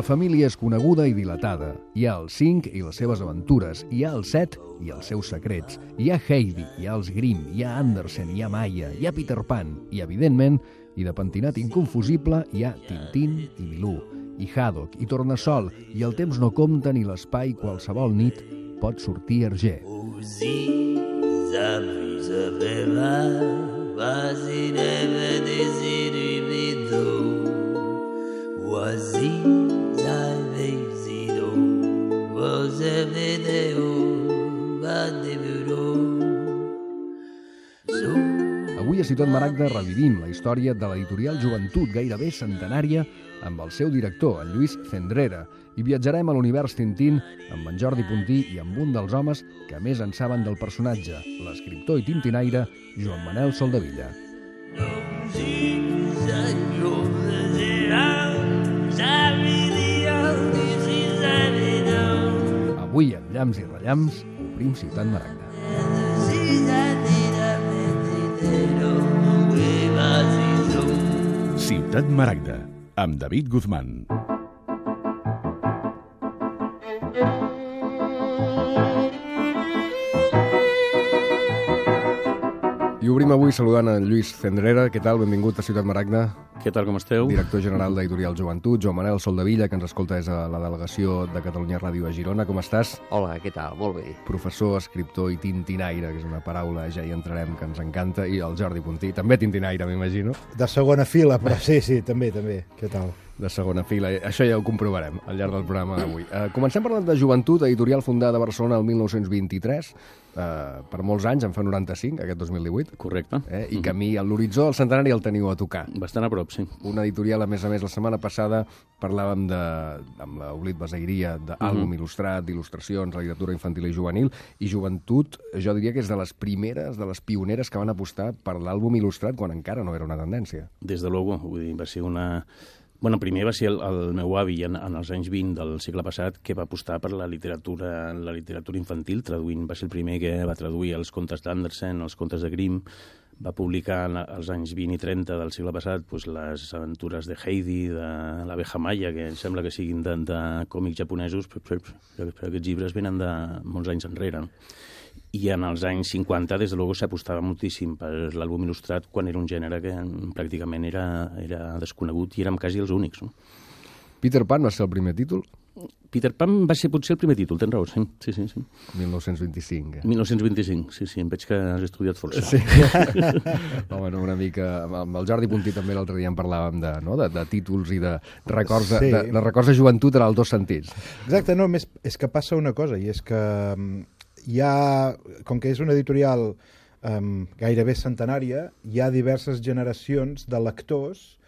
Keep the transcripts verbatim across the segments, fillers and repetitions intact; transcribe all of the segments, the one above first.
La família és coneguda i dilatada. Hi ha els cinc i les seves aventures. Hi ha el set i els seus secrets. Hi ha Heidi, hi ha els Grimm, hi ha Andersen, hi ha Maya, hi ha Peter Pan. I, evidentment, i de pentinat inconfusible, hi ha Tintín i Milú, i Haddock, i Tornassol, i el temps no compta ni l'espai qualsevol nit pot sortir arger. Avui a Ciutat Maragda revivim la història de l'editorial Joventut, gairebé centenària, amb el seu director, en Lluís Cendrera, i viatjarem a l'univers Tintín amb en Jordi Puntí i amb un dels homes que més en saben del personatge, l'escriptor i tintinaire Joan Manel Soldevilla. Avui, amb llamps i rellamps, obrim Ciutat Maragda. Ciutat Maragda, amb David Guzmán. I obrim avui saludant en Lluís Cendrera. Què tal? Benvingut a Ciutat Maragda. Què tal, com esteu? Director general d'Editorial Joventut, Joan Manel Soldevilla, que ens escolta des de la delegació de Catalunya Ràdio a Girona. Com estàs? Hola, què tal? Molt bé. Professor, escriptor i tintinaire, que és una paraula, ja hi entrarem, que ens encanta. I el Jordi Puntí, també tintinaire, m'imagino. De segona fila, però sí, sí, també, també. Què tal? De segona fila. Això ja ho comprovarem al llarg del programa d'avui. Uh, comencem parlant de Joventut, editorial fundada a Barcelona el mil nou-cents vint-i-tres. Uh, per molts anys, en fa noranta-cinc, aquest dos mil divuit. Correcte. Eh? I camí a l'horitzó del centenari el teniu a tocar. Bastant a prop, sí. Una editorial, a més a més, la setmana passada parlàvem de, amb l'Oblit Basairia d'àlbum uh-huh. il·lustrat, d'il·lustracions, literatura infantil i juvenil, i Joventut, jo diria que és de les primeres, de les pioneres que van apostar per l'àlbum il·lustrat quan encara no era una tendència. Des de luego, vull dir, va ser una... Bueno, primer va ser el, el meu avi en, en els anys vint del segle passat que va apostar per la literatura, la literatura infantil, traduint, va ser el primer que va traduir els contes d'Andersen, els contes de Grimm, va publicar als anys vint i trenta del segle passat pues, les aventures de Heidi, de l'abeja Maya, que em sembla que siguin de, de còmics japonesos, però, però, però aquests llibres venen de molts anys enrere. I en els anys cinquanta, des de luego, s'apostava moltíssim per l'àlbum il·lustrat quan era un gènere que pràcticament era, era desconegut i érem quasi els únics. No? Peter Pan va ser el primer títol? Peter Pan va ser potser el primer títol, tens raó, sí. sí, sí, sí. mil nou-cents vint-i-cinc. Eh? mil nou-cents vint-i-cinc, sí, sí, em veig que has estudiat força. Sí. Home, no, una mica... Amb el Jordi Puntí també l'altre dia en parlàvem de, no? de, de títols i de records de, sí. de, de records de joventut en els dos sentits. Exacte, no, més és que passa una cosa, i és que hi ha, com que és una editorial um, gairebé centenària, hi ha diverses generacions de lectors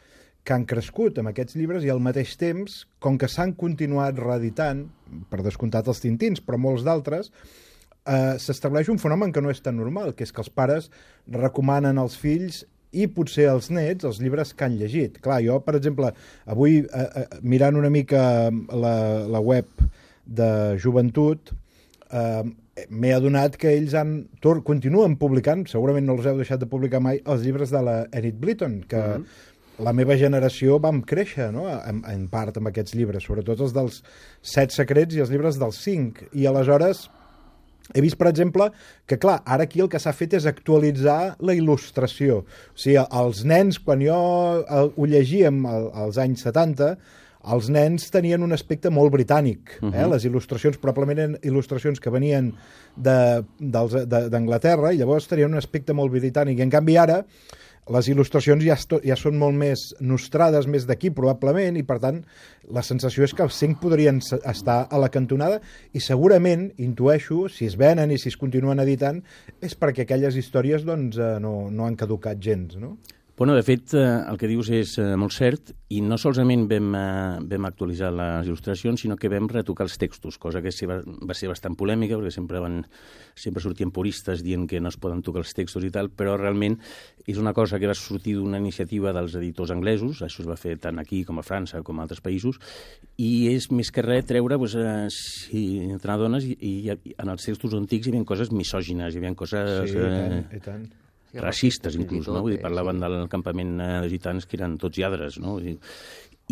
que han crescut amb aquests llibres i al mateix temps, com que s'han continuat reeditant, per descomptat els Tintins, però molts d'altres, eh, s'estableix un fenomen que no és tan normal, que és que els pares recomanen als fills i potser als nets els llibres que han llegit. Clar, jo, per exemple, avui, eh, eh, mirant una mica la, la web de Joventut, eh, m'he adonat que ells han, tor, continuen publicant, segurament no els heu deixat de publicar mai, els llibres de la Enid Blyton, que uh-huh. la meva generació vam créixer, no? en, en part amb aquests llibres, sobretot els dels set secrets i els llibres dels cinc. I aleshores he vist, per exemple, que clar, ara aquí el que s'ha fet és actualitzar la il·lustració. O sigui, els nens, quan jo ho llegíem als anys setanta, els nens tenien un aspecte molt britànic. Uh-huh. eh? Les il·lustracions probablement eren il·lustracions que venien d'Anglaterra i llavors tenien un aspecte molt britànic. I en canvi ara les il·lustracions ja, ja són molt més nostrades, més d'aquí probablement, i per tant la sensació és que els cinc podrien estar a la cantonada i segurament, intueixo, si es venen i si es continuen editant, és perquè aquelles històries doncs, no, no han caducat gens, no? Bueno, de fet, eh, el que dius és eh, molt cert, i no solament vam, eh, vam actualitzar les il·lustracions, sinó que vam retocar els textos, cosa que va, va ser bastant polèmica, perquè sempre, van, sempre sortien puristes dient que no es poden tocar els textos i tal, però realment és una cosa que va sortir d'una iniciativa dels editors anglesos, això es va fer tant aquí com a França com a altres països, i és més que res treure, doncs, eh, si te n'adones, i, i, i en els textos antics hi havia coses misògines, hi havia coses... Sí, i tant, i tant. racistes, inclús, no? Vull dir, parlaven del campament de gitans que eren tots lladres, no? I,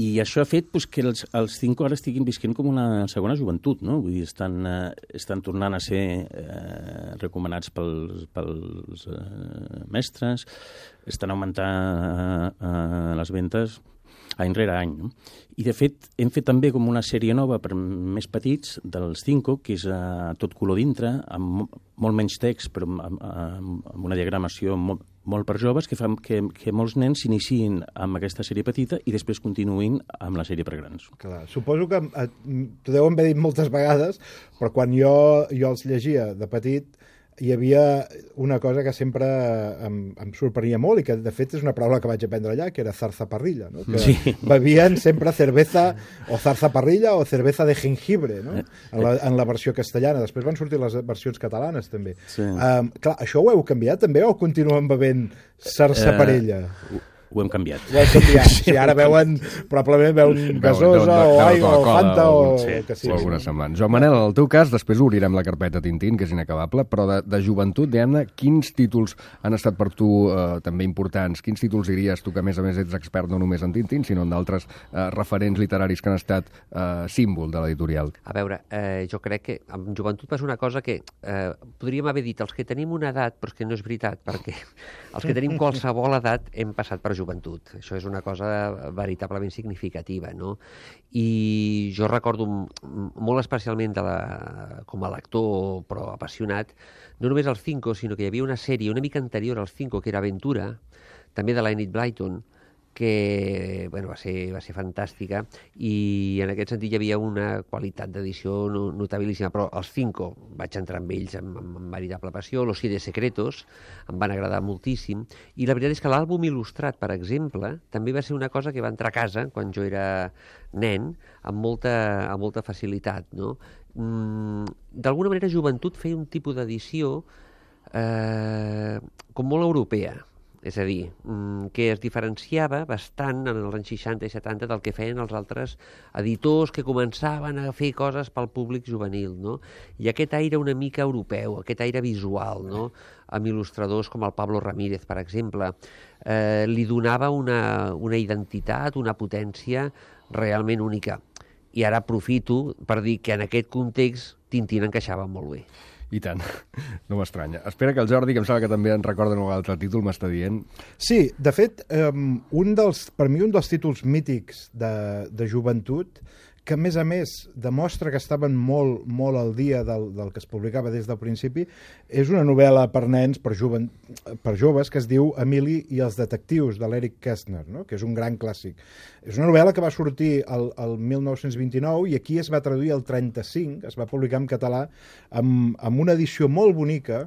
I això ha fet pues, que els, els Cinco ara estiguin visquent com una segona joventut, no? Vull dir, estan, eh, estan tornant a ser eh, recomanats pels, pels eh, mestres, estan augmentant eh, les ventes any rere any, no? I, de fet, hem fet també com una sèrie nova per més petits dels Cinco, que és a tot color dintre, amb molt menys text, però amb, amb, amb una diagramació molt, molt per joves, que fan que, que molts nens s'iniciïn amb aquesta sèrie petita i després continuïn amb la sèrie per grans. Clar, suposo que eh, t'ho deuen haver dit moltes vegades, però quan jo, jo els llegia de petit, hi havia una cosa que sempre em, em sorprenia molt i que, de fet, és una paraula que vaig aprendre allà, que era zarzaparrilla, no? Que sí. Bevien sempre cerveza o zarzaparrilla o cerveza de jengibre, no? En la, en la versió castellana. Després van sortir les versions catalanes, també. Sí. Um, clar, això ho heu canviat, també, o continuen bevent zarzaparilla? Uh, Ho hem canviat. Ho hem canviat. Sí, ara veuen, probablement veuen gasosa o aigua o Fanta o el que sigui. O alguna semblant. Joan Manel, en el teu cas, després obrirem la carpeta Tintín, que és inacabable, però de, de joventut, Diana, quins títols han estat per tu eh, també importants? Quins títols diries tu, que a més a més ets expert no només en Tintín, sinó en d'altres eh, referents literaris que han estat eh, símbol de l'editorial? A veure, eh, jo crec que en joventut passa una cosa que eh, podríem haver dit els que tenim una edat, però és que no és veritat, perquè els que tenim qualsevol edat hem passat per joventut. Això és una cosa veritablement significativa, no? I jo recordo molt especialment de la, com a lector, però apassionat, no només els Cinco, sinó que hi havia una sèrie una mica anterior als Cinco, que era Aventura, també de l'Enid Blyton, que bueno, va, ser, va ser fantàstica, i en aquest sentit hi havia una qualitat d'edició notabilíssima, però els Cinco vaig entrar amb ells amb, amb, amb veritable passió, Los Siete Secretos em van agradar moltíssim, i la veritat és que l'àlbum il·lustrat, per exemple, també va ser una cosa que va entrar a casa quan jo era nen amb molta, amb molta facilitat, no? Mm, d'alguna manera Joventut feia un tipus d'edició eh, com molt europea. És a dir, que es diferenciava bastant en els anys seixanta i setanta del que feien els altres editors que començaven a fer coses pel públic juvenil, no? I aquest aire una mica europeu, aquest aire visual, no? Amb il·lustradors com el Pablo Ramírez, per exemple, eh, li donava una, una identitat, una potència realment única. I ara aprofito per dir que en aquest context Tintín encaixava molt bé. I tant, no m'estranya. Espera que el Jordi, que em sembla que també en recorda un altre títol, m'està dient... Sí, de fet, um, un dels, per mi un dels títols mítics de, de joventut, que a més a més demostra que estaven molt, molt al dia del, del que es publicava des del principi, és una novel·la per nens, per, joven, per joves, que es diu Emili i els detectius, de l'Eric Kästner, no? Que és un gran clàssic. És una novel·la que va sortir el, el mil nou-cents vint-i-nou i aquí es va traduir el trenta-cinc, es va publicar en català, amb, amb una edició molt bonica,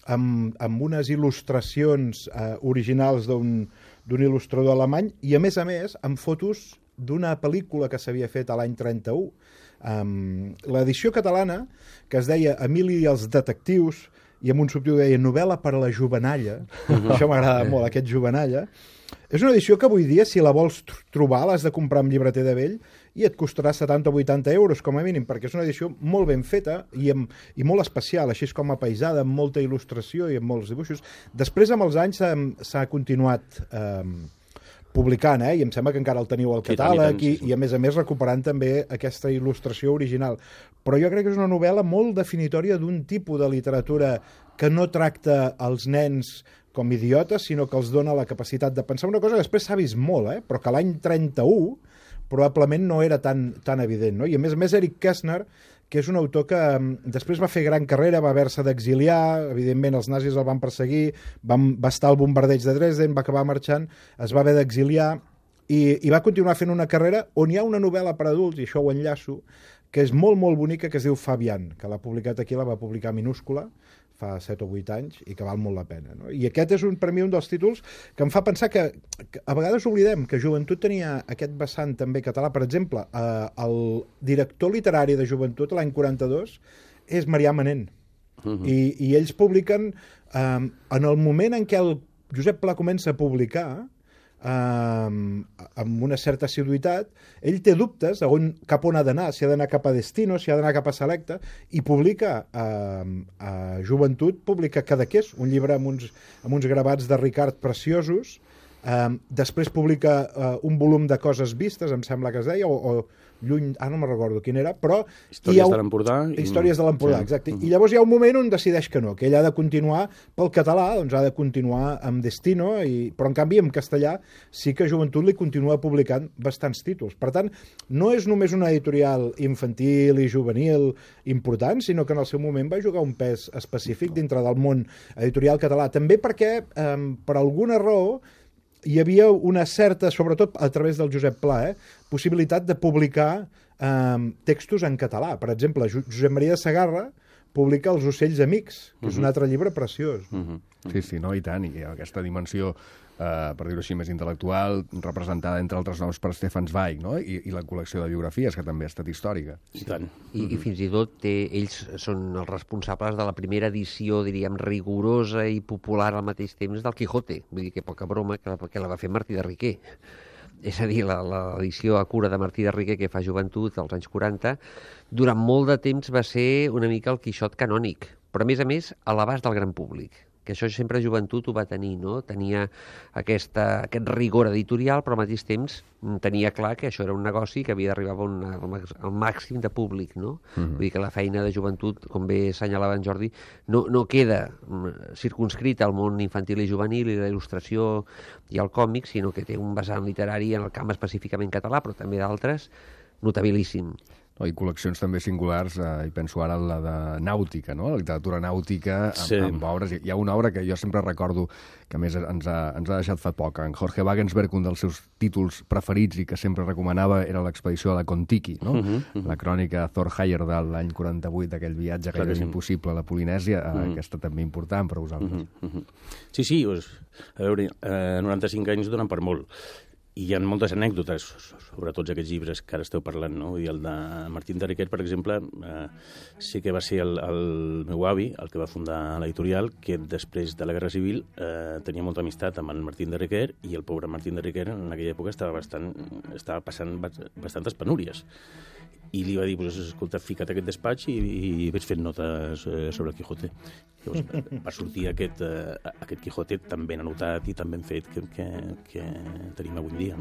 amb, amb unes il·lustracions eh, originals d'un d'un il·lustrador alemany i, a més a més, amb fotos d'una pel·lícula que s'havia fet a l'any trenta-u. Um, l'edició catalana, que es deia Emili i els detectius, i amb un subtítol deia Novel·la per a la jovenalla, uh-huh. Això m'agrada molt, aquest jovenalla, és una edició que avui dia, si la vols trobar, l'has de comprar amb llibreter de vell i et costarà setanta o vuitanta euros, com a mínim, perquè és una edició molt ben feta i, amb, i molt especial, així com apaisada, amb molta il·lustració i amb molts dibuixos. Després, amb els anys, s'ha continuat eh, publicant, eh? I em sembla que encara el teniu al catàleg, sí, i, i a més a més recuperant també aquesta il·lustració original. Però jo crec que és una novel·la molt definitòria d'un tipus de literatura que no tracta els nens com idiotes, sinó que els dona la capacitat de pensar una cosa que després s'ha vist molt, eh? Però que l'any trenta-u probablement no era tan, tan evident, no? I a més a més Eric Kästner, que és un autor que um, després va fer gran carrera, va haver-se d'exiliar, evidentment els nazis el van perseguir, van, va estar al bombardeig de Dresden, va acabar marxant, es va haver d'exiliar i, i va continuar fent una carrera on hi ha una novel·la per adults, i això ho enllaço, que és molt, molt bonica, que es diu Fabian, que l'ha publicat aquí, la va publicar minúscula, fa set o vuit anys, i que val molt la pena, no? I aquest és un, per mi un dels títols que em fa pensar que, que a vegades oblidem que Joventut tenia aquest vessant també català. Per exemple, eh, el director literari de Joventut l'any quaranta-dos és Marià Manent. Uh-huh. I, I ells publiquen, eh, en el moment en què el Josep Pla comença a publicar, Uh, amb una certa assiduïtat, ell té dubtes de on, cap on ha d'anar, si ha d'anar cap a Destino, si ha d'anar cap a Selecta, i publica uh, a Joventut, publica Cadaqués, un llibre amb uns, amb uns gravats de Ricard preciosos, Um, després publica uh, un volum de coses vistes, em sembla que es deia, o, o lluny, ah, no me'n recordo quin era, però... Històries ha... de l'Empordà. I... Històries de l'Empordà, sí. Exacte. I llavors hi ha un moment on decideix que no, que ell ha de continuar pel català, doncs ha de continuar amb Destino, i... però en canvi en castellà sí que Joventut li continua publicant bastants títols. Per tant, no és només una editorial infantil i juvenil important, sinó que en el seu moment va jugar un pes específic dintre del món editorial català. També perquè, eh, per alguna raó, hi havia una certa, sobretot a través del Josep Pla, eh, possibilitat de publicar eh, textos en català. Per exemple, Josep Maria de Segarra publica Els ocells amics, que uh-huh. és un altre llibre preciós. Uh-huh. Sí, sí, no, i tant, i aquesta dimensió, eh, per dir-ho així, més intel·lectual, representada, entre altres noms, per Stefan Zweig, no? I, i la col·lecció de biografies, que també ha estat històrica. I tant. I, i fins i tot té, ells són els responsables de la primera edició, diríem, rigorosa i popular al mateix temps del Quijote. Vull dir que poca broma que la, que la va fer Martí de Riquer. És a dir, l'edició a cura de Martí de Riquer que fa Joventut als anys quaranta, durant molt de temps va ser una mica el Quixot canònic, però a més a més a l'abast del gran públic, que això sempre Joventut ho va tenir, no? Tenia aquesta, aquest rigor editorial, però al mateix temps tenia clar que això era un negoci que havia d'arribar al màxim de públic, no? Uh-huh. Vull dir que la feina de Joventut, com bé assenyalava en Jordi, no, no queda circunscrita al món infantil i juvenil i la il·lustració i el còmic, sinó que té un vessant literari en el camp específicament català, però també d'altres, notabilíssim. No, i col·leccions també singulars, eh, i penso ara en la de nàutica, no? La literatura nàutica, amb, sí. amb obres. Hi ha una obra que jo sempre recordo, que a més ens ha, ens ha deixat fa poc, en Jorge Wagensberg, un dels seus títols preferits i que sempre recomanava era l'expedició a la Kon-Tiki, no? Uh-huh, uh-huh. La crònica Thor Heyerdahl, l'any quaranta-vuit, d'aquell viatge que era impossible a la Polinèsia, uh-huh. eh, aquesta també important per vosaltres. Uh-huh, uh-huh. Sí, sí, pues, a veure, eh, noranta-cinc anys donen per molt. I hi ha moltes anècdotes sobre tots aquests llibres que ara esteu parlant, no? I el de Martín de Riquer, per exemple, eh, sí que va ser el, el meu avi, el que va fundar l'editorial, que després de la Guerra Civil eh, tenia molta amistat amb el Martín de Riquer, i el pobre Martín de Riquer en aquella època estava, bastant, estava passant bastantes penúries. I li va dir, pues, escolta, fica't a aquest despatx i, i ves fent notes eh, sobre el Quijote. Llavors va sortir aquest, eh, aquest Quijote tan ben anotat i tan ben fet que, que, que tenim avui dia.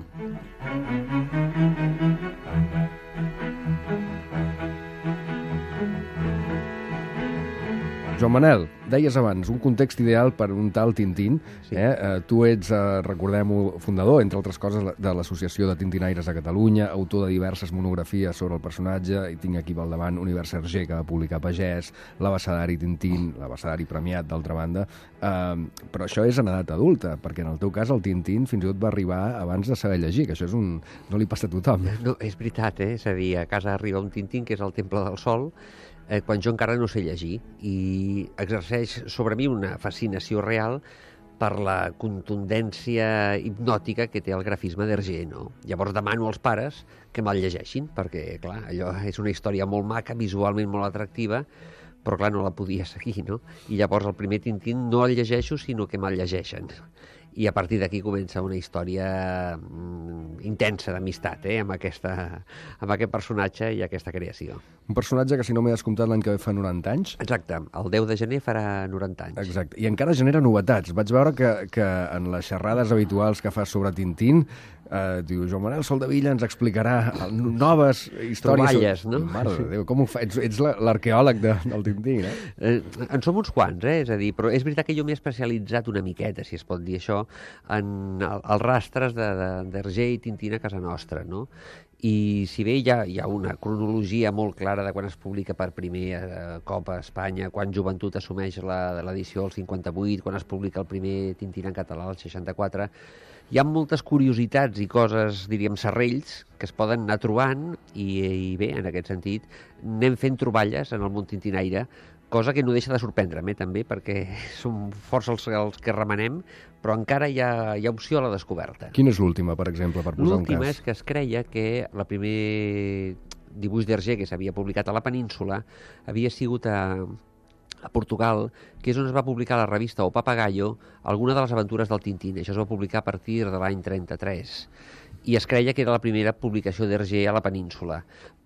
Joan Manel, deies abans, un context ideal per un tal Tintín. Sí. Eh? Eh, tu ets, eh, recordem-ho, fundador, entre altres coses, de l'Associació de Tintinaires de Catalunya, autor de diverses monografies sobre el personatge, i tinc aquí al davant Univers Hergé, que va publicar Pagès, l'Abecedari Tintín, l'Abecedari premiat, d'altra banda. Eh, però això és en edat adulta, perquè en el teu cas el Tintín fins i tot va arribar abans de saber llegir, que això és un... no li passa a tothom. No, és veritat, eh? És a dir, a casa arriba un Tintín, que és el Temple del Sol, eh, quan jo encara no sé llegir, i exerceix sobre mi una fascinació real per la contundència hipnòtica que té el grafisme d'Hergé, no? Llavors demano als pares que me'l llegeixin, perquè, clar, allò és una història molt maca, visualment molt atractiva, però, clar, no la podia seguir, no? I llavors el primer Tintín no el llegeixo, sinó que me'l llegeixen. I a partir d'aquí comença una història mm, intensa d'amistat, eh, amb, aquesta, amb aquest personatge i aquesta creació. Un personatge que, si no m'he descomptat, l'any que ve fa noranta anys. Exacte, el deu de gener farà noranta anys. Exacte, i encara genera novetats. Vaig veure que, que en les xerrades habituals que fas sobre Tintín, eh, diu, Joan Manel Soldevilla ens explicarà noves històries... Troballes, no? Mare de Déu, com ho fa? Ets, ets l'arqueòleg de, del Tintín, eh? eh? En som uns quants, eh? És a dir, però és veritat que jo m'he especialitzat una miqueta, si es pot dir això, en els rastres d'Hergé i Tintín a casa nostra, no? I si bé hi ha, hi ha una cronologia molt clara de quan es publica per primer eh, cop a Espanya, quan Joventut assumeix l'edició al cinquanta-vuit, quan es publica el primer Tintín en català al seixanta-quatre, hi ha moltes curiositats i coses, diríem, serrells, que es poden anar trobant i, i bé, en aquest sentit, anem fent troballes en el món tintinaire, cosa que no deixa de sorprendre'm, eh, també, perquè som força els, els que remenem, però encara hi ha, hi ha opció a la descoberta. Quina és l'última, per exemple, per posar un cas? L'última és que es creia que el primer dibuix d'Hergé que s'havia publicat a la península havia sigut a, a Portugal, que és on es va publicar a la revista O Papagayo alguna de les aventures del Tintín. Això es va publicar a partir de l'any trenta-tres. I es creia que era la primera publicació d'Hergé a la península.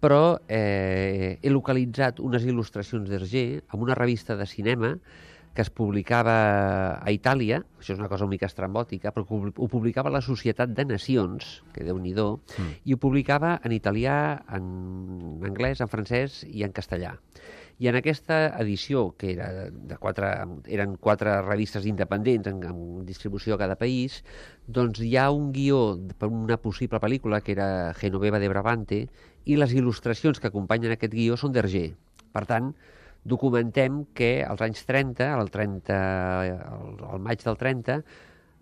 Però eh, he localitzat unes il·lustracions d'Hergé en una revista de cinema que es publicava a Itàlia, això és una cosa una mica estrambòtica, però ho publicava la Societat de Nacions, que Déu-n'hi-do, mm. i ho publicava en italià, en anglès, en francès i en castellà. I en aquesta edició, que era de quatre, eren quatre revistes independents en, en distribució a cada país, doncs hi ha un guió per una possible pel·lícula que era Genoveva de Brabante, i les il·lustracions que acompanyen aquest guió són d'Hergé. Per tant, documentem que als anys trenta, al, trenta, al, al maig del trenta,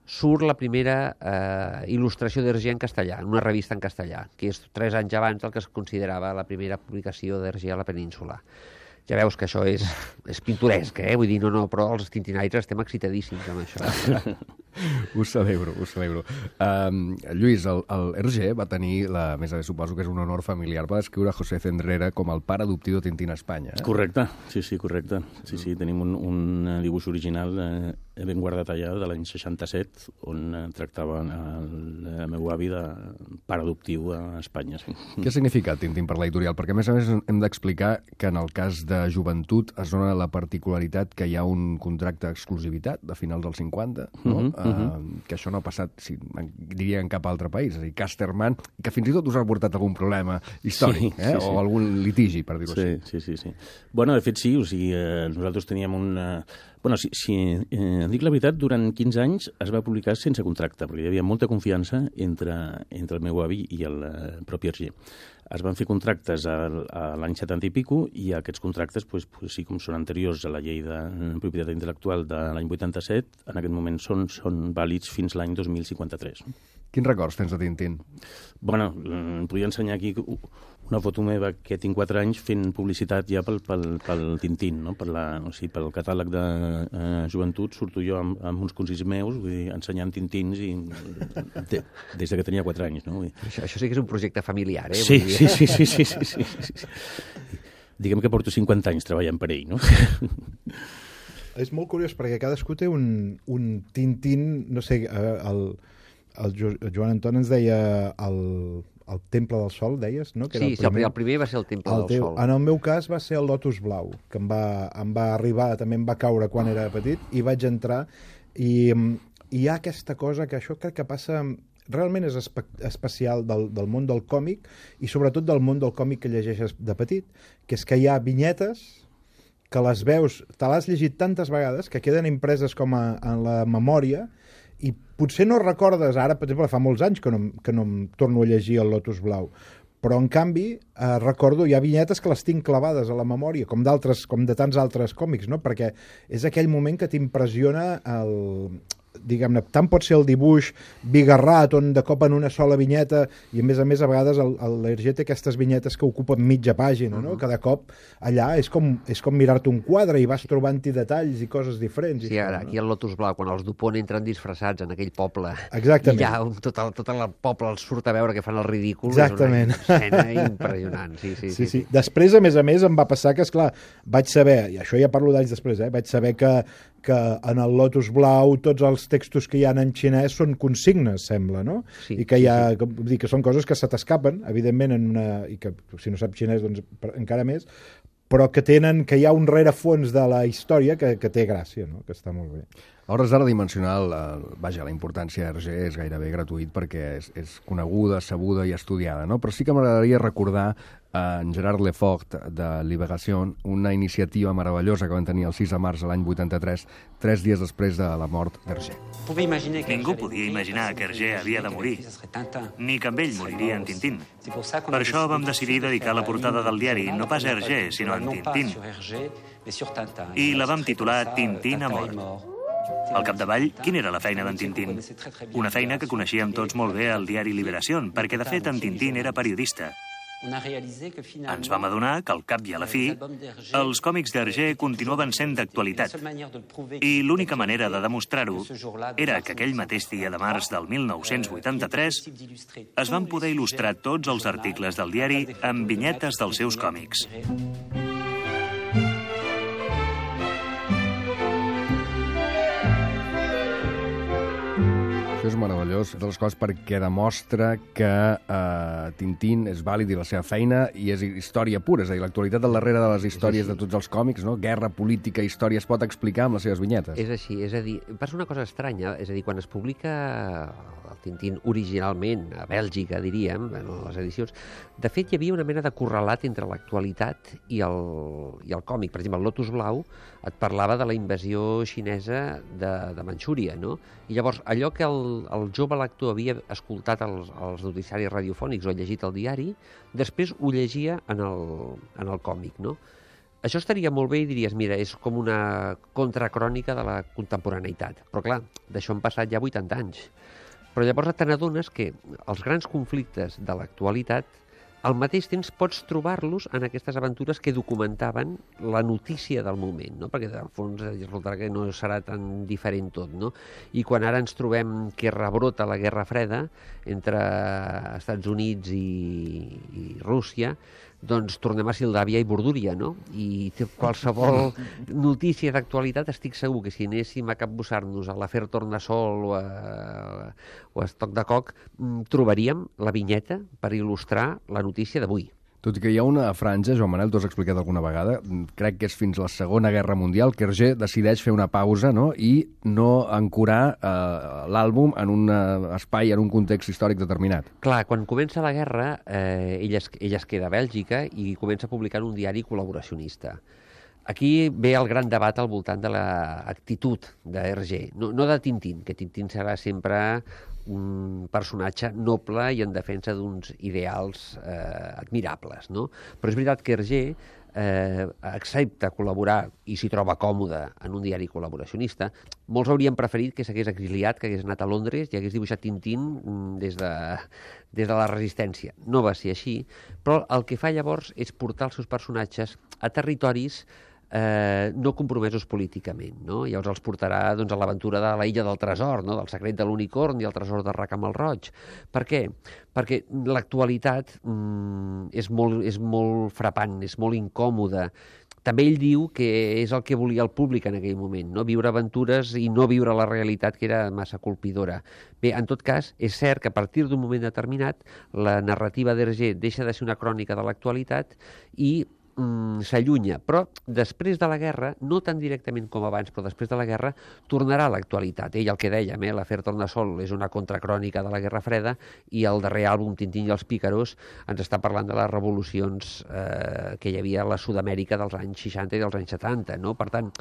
surt la primera eh, il·lustració d'Hergé en castellà, en una revista en castellà, que és tres anys abans del que es considerava la primera publicació d'Hergé a la península. Ja veus que això és, és pintoresc, eh? Vull dir, no, no, però els tintinaires estem excitadíssims amb això. Ho celebro, ho celebro. Um, Lluís, el, el Hergé va tenir, la, més a més suposo que és un honor familiar, va descriure José Cendrera com el pare adoptiu de Tintín a Espanya. Eh? Correcte, sí, sí, correcte. Sí, sí, tenim un, un dibuix original eh, ben guardat allà de l'any seixanta-set, on eh, tractava el, el meu avi de pare adoptiu a Espanya. Sí. Què ha significat Tintín per l'editorial? Perquè, a més a més, hem d'explicar que en el cas de de joventut es dona la particularitat que hi ha un contracte d'exclusivitat de finals dels cinquanta, no? uh -huh, uh -huh. Uh, que això no ha passat, sí, diria, en cap altre país. És a dir, Casterman, que fins i tot us ha portat algun problema històric, sí, eh? sí, sí. o algun litigi, per dir-ho sí, així. Sí, sí, sí. Bueno, de fet, sí, o sigui, eh, nosaltres teníem un... Eh, bueno, si, si eh, dic la veritat, durant quinze anys es va publicar sense contracte, perquè hi havia molta confiança entre, entre el meu avi i el eh, propi Hergé. Es van fer contractes a, a l'any setanta i pico, i aquests contractes, pues, pues, sí, com són anteriors a la llei de propietat intel·lectual de l'any vuitanta-set, en aquest moment són, són vàlids fins l'any dos mil cinquanta-tres. Quins records tens de Tintín? Bueno, em podria ensenyar aquí una foto meva que tinc quatre anys fent publicitat ja pel, pel, pel Tintín, no? per la, o sigui, pel catàleg de eh, joventut surto jo amb, amb uns consells meus, vull dir, ensenyant Tintins i, de, des de que tenia quatre anys. No? Vull dir. Això, això sí que és un projecte familiar, eh? Sí, sí, sí, sí, sí, sí, sí, sí. Diguem que porto cinquanta anys treballant per ell, no? És molt curiós perquè cadascú té un, un Tintín, no sé, el, el jo, Joan Anton ens deia el, el Temple del Sol, deies, no? Que sí, era el, primer. sí, el primer va ser el Temple el del teu, Sol. En el meu cas va ser el Lotus Blau, que em va, em va arribar, també em va caure quan era petit, i vaig entrar, i, i hi ha aquesta cosa que això crec que passa... Realment és espe especial del, del món del còmic, i sobretot del món del còmic que llegeixes de petit, que és que hi ha vinyetes que les veus, te l'has llegit tantes vegades que queden impreses com a, en la memòria, i potser no recordes, ara, per exemple, fa molts anys que no, que no em torno a llegir el Lotus Blau, però en canvi eh, recordo, hi ha vinyetes que les tinc clavades a la memòria, com d'altres, com de tants altres còmics, no? Perquè és aquell moment que t'impressiona el... diguem-ne, tant pot ser el dibuix bigarrat, on de cop en una sola vinyeta, i a més a més a vegades l'Hergé té aquestes vinyetes que ocupen mitja pàgina, no? Cada cop allà és com, és com mirar-te un quadre i vas trobant-hi detalls i coses diferents. Sí, ara, aquí al Lotus Blau, quan els Dupont entren disfressats en aquell poble, exactament, i ja un, tot, el, tot el poble els surt a veure que fan el ridícul, exactament, és una escena impressionant. Sí, sí, sí, sí, sí. Després, a més a més, em va passar que, esclar, vaig saber, i això ja parlo d'anys després, eh, vaig saber que, que en el Lotus Blau tots els textos que hi ha en xinès són consignes, sembla, no? Sí, I que hi ha, sí, sí. Com, dir, que són coses que se t'escapen, evidentment, en una, i que si no saps xinès, doncs encara més, però que tenen, que hi ha un rerefons de la història que, que té gràcia, no? Que està molt bé. A hores d'ara dimensionar, la, vaja, la importància d'Hergé és gairebé gratuït perquè és, és coneguda, sabuda i estudiada, no? Però sí que m'agradaria recordar en Gerard Lefort de Libération, una iniciativa meravellosa que van tenir el sis de març de l'any vuitanta-tres, tres dies després de la mort d'Hergé. Ningú podia imaginar que Hergé havia de morir, ni que amb ell moriria en Tintín. Per això vam decidir dedicar la portada del diari no pas a Hergé, sinó a en Tintín. I la vam titular Tintín ha mort. Al capdavall, quina era la feina d'en Tintín? Una feina que coneixíem tots molt bé al diari Libération, perquè de fet en Tintín era periodista. Ens vam adonar que al cap i a la fi els còmics d'Hergé continuaven sent d'actualitat, i l'única manera de demostrar-ho era que aquell mateix dia de març del mil nou-cents vuitanta-tres es van poder il·lustrar tots els articles del diari amb vinyetes dels seus còmics. Això és meravellós. les coses perquè demostra que eh, Tintín és vàlid i la seva feina i és història pura, és a dir, l'actualitat al darrere de les històries de tots els còmics, no? Guerra, política, història, es pot explicar amb les seves vinyetes. És així, és a dir, passa una cosa estranya, és a dir, quan es publica el Tintín originalment a Bèlgica, diríem, en les edicions, de fet hi havia una mena de correlat entre l'actualitat i el, i el còmic. Per exemple, el Lotus Blau et parlava de la invasió xinesa de, de Manxúria, no? I llavors, allò que el, el jove lector havia escoltat als, als noticiaris radiofònics o llegit al diari, després ho llegia en el, en el còmic, no? Això estaria molt bé i diries, mira, és com una contracrònica de la contemporaneïtat. Però clar, d'això han passat ja vuitanta anys. Però llavors te n'adones que els grans conflictes de l'actualitat al mateix temps pots trobar-los en aquestes aventures que documentaven la notícia del moment, no? Perquè en fons resultarà que no serà tan diferent tot, no? I quan ara ens trobem que rebrota la Guerra Freda entre Estats Units i, i Rússia, doncs tornem a Sildàvia i Bordúria, no? I qualsevol notícia d'actualitat estic segur que si anéssim a capbussar-nos a l'afer Tornassol o a, o a Estoc de Coc, trobaríem la vinyeta per il·lustrar la notícia d'avui. Tot i que hi ha una franja, Joan Manel, t'ho has explicat alguna vegada, crec que és fins la Segona Guerra Mundial, que Hergé decideix fer una pausa, no?, i no ancorar eh, l'àlbum en un espai, en un context històric determinat. Clar, quan comença la guerra, eh, ell, es, ell es queda a Bèlgica i comença a publicar en un diari col·laboracionista. Aquí ve el gran debat al voltant de l'actitud d'Hergé, no, no de Tintín, que Tintín serà sempre un personatge noble i en defensa d'uns ideals eh, admirables, no? Però és veritat que Hergé eh, accepta col·laborar i s'hi troba còmode en un diari col·laboracionista. Molts haurien preferit que s'hagués exiliat, que hagués anat a Londres i hagués dibuixat Tintín des de, des de la resistència. No va ser així, però el que fa llavors és portar els seus personatges a territoris Eh, no compromesos políticament, no? Llavors els portarà doncs, a l'aventura de la Illa del Tresor, no? Del secret de l'unicorn i el tresor de Racamel Roig. Per què? Perquè l'actualitat mm, és, molt, és molt frapant, és molt incòmoda. També ell diu que és el que volia el públic en aquell moment, no? Viure aventures i no viure la realitat, que era massa colpidora. Bé, en tot cas, és cert que a partir d'un moment determinat la narrativa d'Hergé deixa de ser una crònica de l'actualitat i Mm, s'allunya, però després de la guerra, no tan directament com abans, però després de la guerra, tornarà a l'actualitat. Ell, el que dèiem, eh, l'afer Tornassol és una contracrònica de la Guerra Freda i el darrer àlbum, Tintín i els pícaros, ens està parlant de les revolucions eh, que hi havia a la Sud-amèrica dels anys seixanta i dels anys setanta, no? Per tant,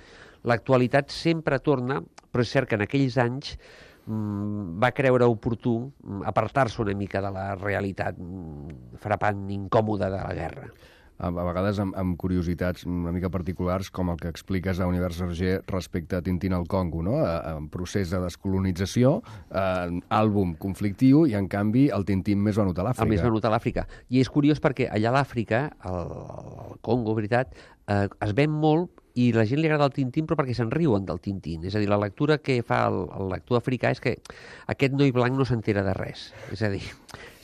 l'actualitat sempre torna, però és cert que en aquells anys mm, va creure oportú apartar-se una mica de la realitat mm, frapant, incòmoda de la guerra. A vegades amb, amb curiositats una mica particulars, com el que expliques a Univers Hergé respecte a Tintín al Congo, no? En procés de descolonització, eh, àlbum conflictiu, i en canvi el Tintín més venut a l'Àfrica. El més venut a l'Àfrica. I és curiós perquè allà a l'Àfrica, al, al Congo, veritat, eh, es ven molt i la gent li agrada el Tintín però perquè se'n riuen del Tintín. És a dir, la lectura que fa el, el lector africà és que aquest noi blanc no s'entera de res. És a dir,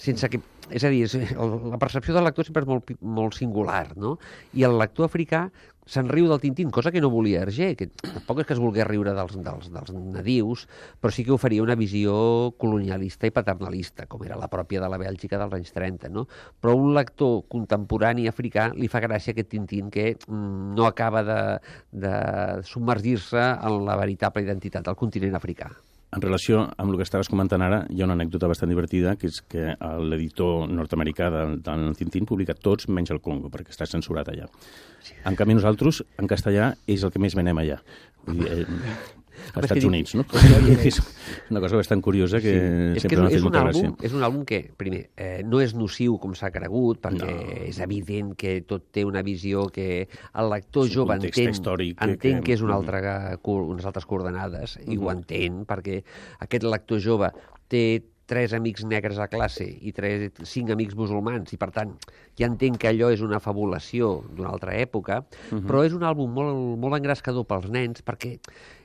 sense que... És a dir, la percepció del lector sempre és molt, molt singular, no? I el lector africà se'n riu del Tintín, cosa que no volia Hergé, que tampoc és que es volgués riure dels, dels, dels nadius, però sí que oferia una visió colonialista i paternalista, com era la pròpia de la Bèlgica dels anys trenta, no? Però un lector contemporani africà li fa gràcia aquest Tintín que mm, no acaba de, de submergir-se en la veritable identitat del continent africà. En relació amb el que estaves comentant ara, hi ha una anècdota bastant divertida, que és que l'editor nord-americà del, del Tintín publica tots menys el Congo, perquè està censurat allà. En canvi, nosaltres, en castellà, és el que més venem allà. Vull dir, eh, als Estats Units, no? És una cosa bastant curiosa que sí. sempre m'ha fet molta gràcia. És un àlbum que, primer, eh, no és nociu com s'ha cregut, perquè no. És evident que tot té una visió que el lector jove entén, entén que, que és una altra, unes altres coordenades, uh-huh. i ho entén, perquè aquest lector jove té tres amics negres a classe i tres, cinc amics musulmans, i per tant ja entenc que allò és una fabulació d'una altra època, uh-huh. però és un àlbum molt, molt engrescador pels nens perquè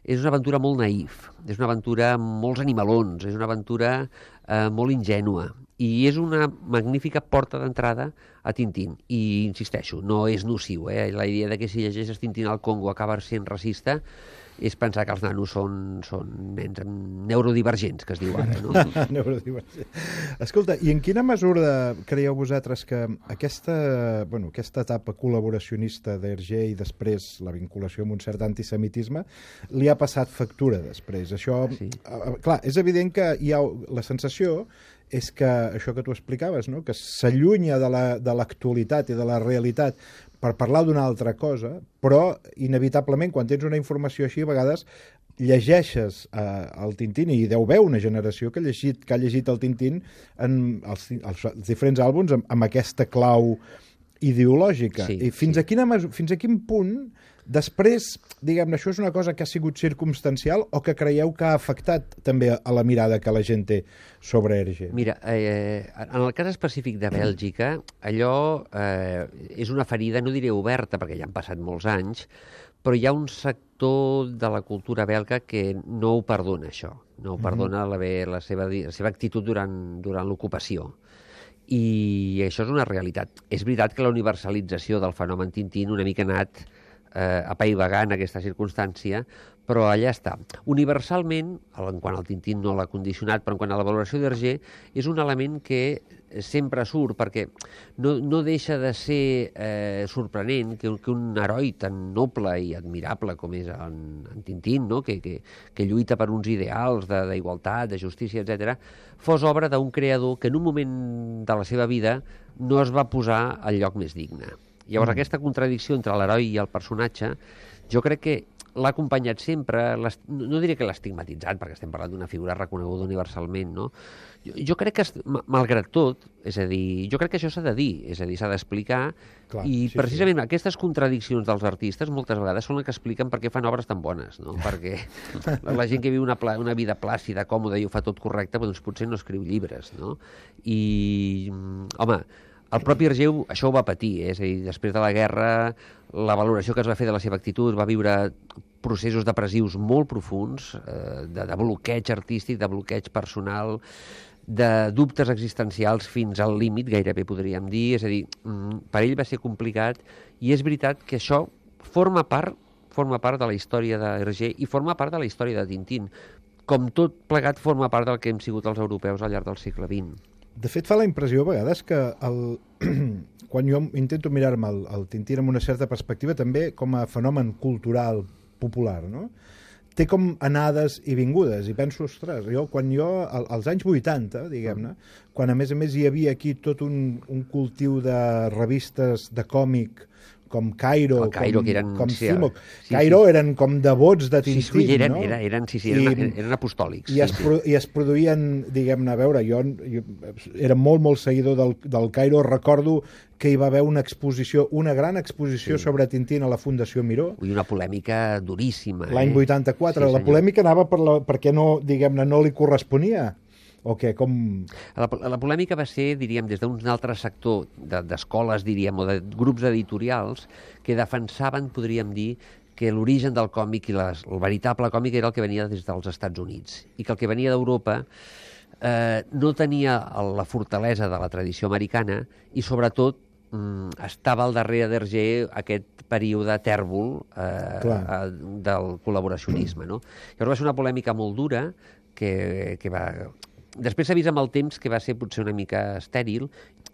és una aventura molt naïf, és una aventura amb molts animalons, és una aventura eh, molt ingènua, i és una magnífica porta d'entrada a Tintín. I, insisteixo, no és nociu, eh? La idea de que si llegeixes Tintín al Congo acaba sent racista és pensar que els nanos són, són nens neurodivergents, que es diu ara, no? Neurodivergents. Escolta, i en quina mesura creieu vosaltres que aquesta, bueno, aquesta etapa col·laboracionista d'Hergé i després la vinculació amb un cert antisemitisme li ha passat factura després? Això, sí. eh, clar, és evident que hi ha la sensació és que això que tu explicaves, no? Que s'allunya de la, de l'actualitat i de la realitat per parlar d'una altra cosa, però inevitablement quan tens una informació així a vegades llegeixes eh, el Tintín i hi deu haver una generació que ha llegit, que ha llegit el Tintín en els, els diferents àlbums amb, amb aquesta clau ideològica. Sí, I fins, sí. a quina, fins a quin punt després, diguem-ne, això és una cosa que ha sigut circumstancial o que creieu que ha afectat també a la mirada que la gent té sobre Hergé? Mira, eh, en el cas específic de Bèlgica, allò eh, és una ferida, no diré oberta, perquè ja han passat molts anys, però hi ha un sector de la cultura belga que no ho perdona, això. No ho perdona la, la, seva, la seva actitud durant, durant l'ocupació. I això és una realitat. És veritat que la universalització del fenomen Tintín una mica ha anat eh, apaivagant aquesta circumstància, però allà està. Universalment, en quant al Tintín no l'ha condicionat, però en quant a la valoració d'Hergé, és un element que sempre surt, perquè no, no deixa de ser eh, sorprenent que, que un heroi tan noble i admirable com és en, en Tintín, no? que, que, que lluita per uns ideals d'igualtat, de, de justícia, etcètera, fos obra d'un creador que en un moment de la seva vida no es va posar al lloc més digne. Llavors, mm. aquesta contradicció entre l'heroi i el personatge, jo crec que l'ha acompanyat sempre, no diré que l'ha estigmatitzat, perquè estem parlant d'una figura reconeguda universalment, no? Jo, jo crec que, malgrat tot, és a dir, jo crec que això s'ha de dir, és a dir, s'ha d'explicar, i sí, precisament sí. aquestes contradiccions dels artistes moltes vegades són les que expliquen per què fan obres tan bones, no? Perquè la gent que viu una, pla, una vida plàcida, còmoda i ho fa tot correcte, doncs potser no escriu llibres, no? I, home, el propi Hergé això ho va patir, eh? És a dir, després de la guerra, la valoració que es va fer de la seva actitud va viure processos depressius molt profuns, eh, de, de bloqueig artístic, de bloqueig personal, de dubtes existencials fins al límit, gairebé podríem dir, és a dir, per ell va ser complicat, i és veritat que això forma part, forma part de la història d'Hergé i forma part de la història de Tintín, com tot plegat forma part del que hem sigut els europeus al llarg del segle vint. De fet, fa la impressió a vegades que el... quan jo intento mirar-me el, el Tintín amb una certa perspectiva, també com a fenomen cultural popular, no? Té com anades i vingudes, i penso, ostres, jo, quan jo, als anys vuitanta, diguem-ne, quan a més a més hi havia aquí tot un, un cultiu de revistes de còmic, com Cairo, Cairo com, que eren, com sí, Cimoc. Sí, Cairo sí. eren com devots de Tintín, sí, sí, eren, no? Eren, eren, sí, sí, eren, eren, eren apostòlics. I, sí, es sí. Pro, I es produïen, diguem-ne, a veure, jo, jo era molt, molt seguidor del, del Cairo, recordo que hi va haver una exposició, una gran exposició sí. sobre Tintín a la Fundació Miró. I una polèmica duríssima. L'any eh? vuitanta-quatre. Sí, la polèmica anava per la, perquè no, diguem-ne, no li corresponia. O què? Com... La, la polèmica va ser, diríem, des d'un altre sector d'escoles, diríem, o de grups editorials que defensaven, podríem dir, que l'origen del còmic i les, el veritable còmic era el que venia des dels Estats Units i que el que venia d'Europa eh, no tenia la fortalesa de la tradició americana i, sobretot, mm, estava al darrere d'Hergé aquest període tèrbol eh, eh, del col·laboracionisme. No? Llavors va ser una polèmica molt dura que, que va... Després s'ha vist amb el temps que va ser potser una mica estèril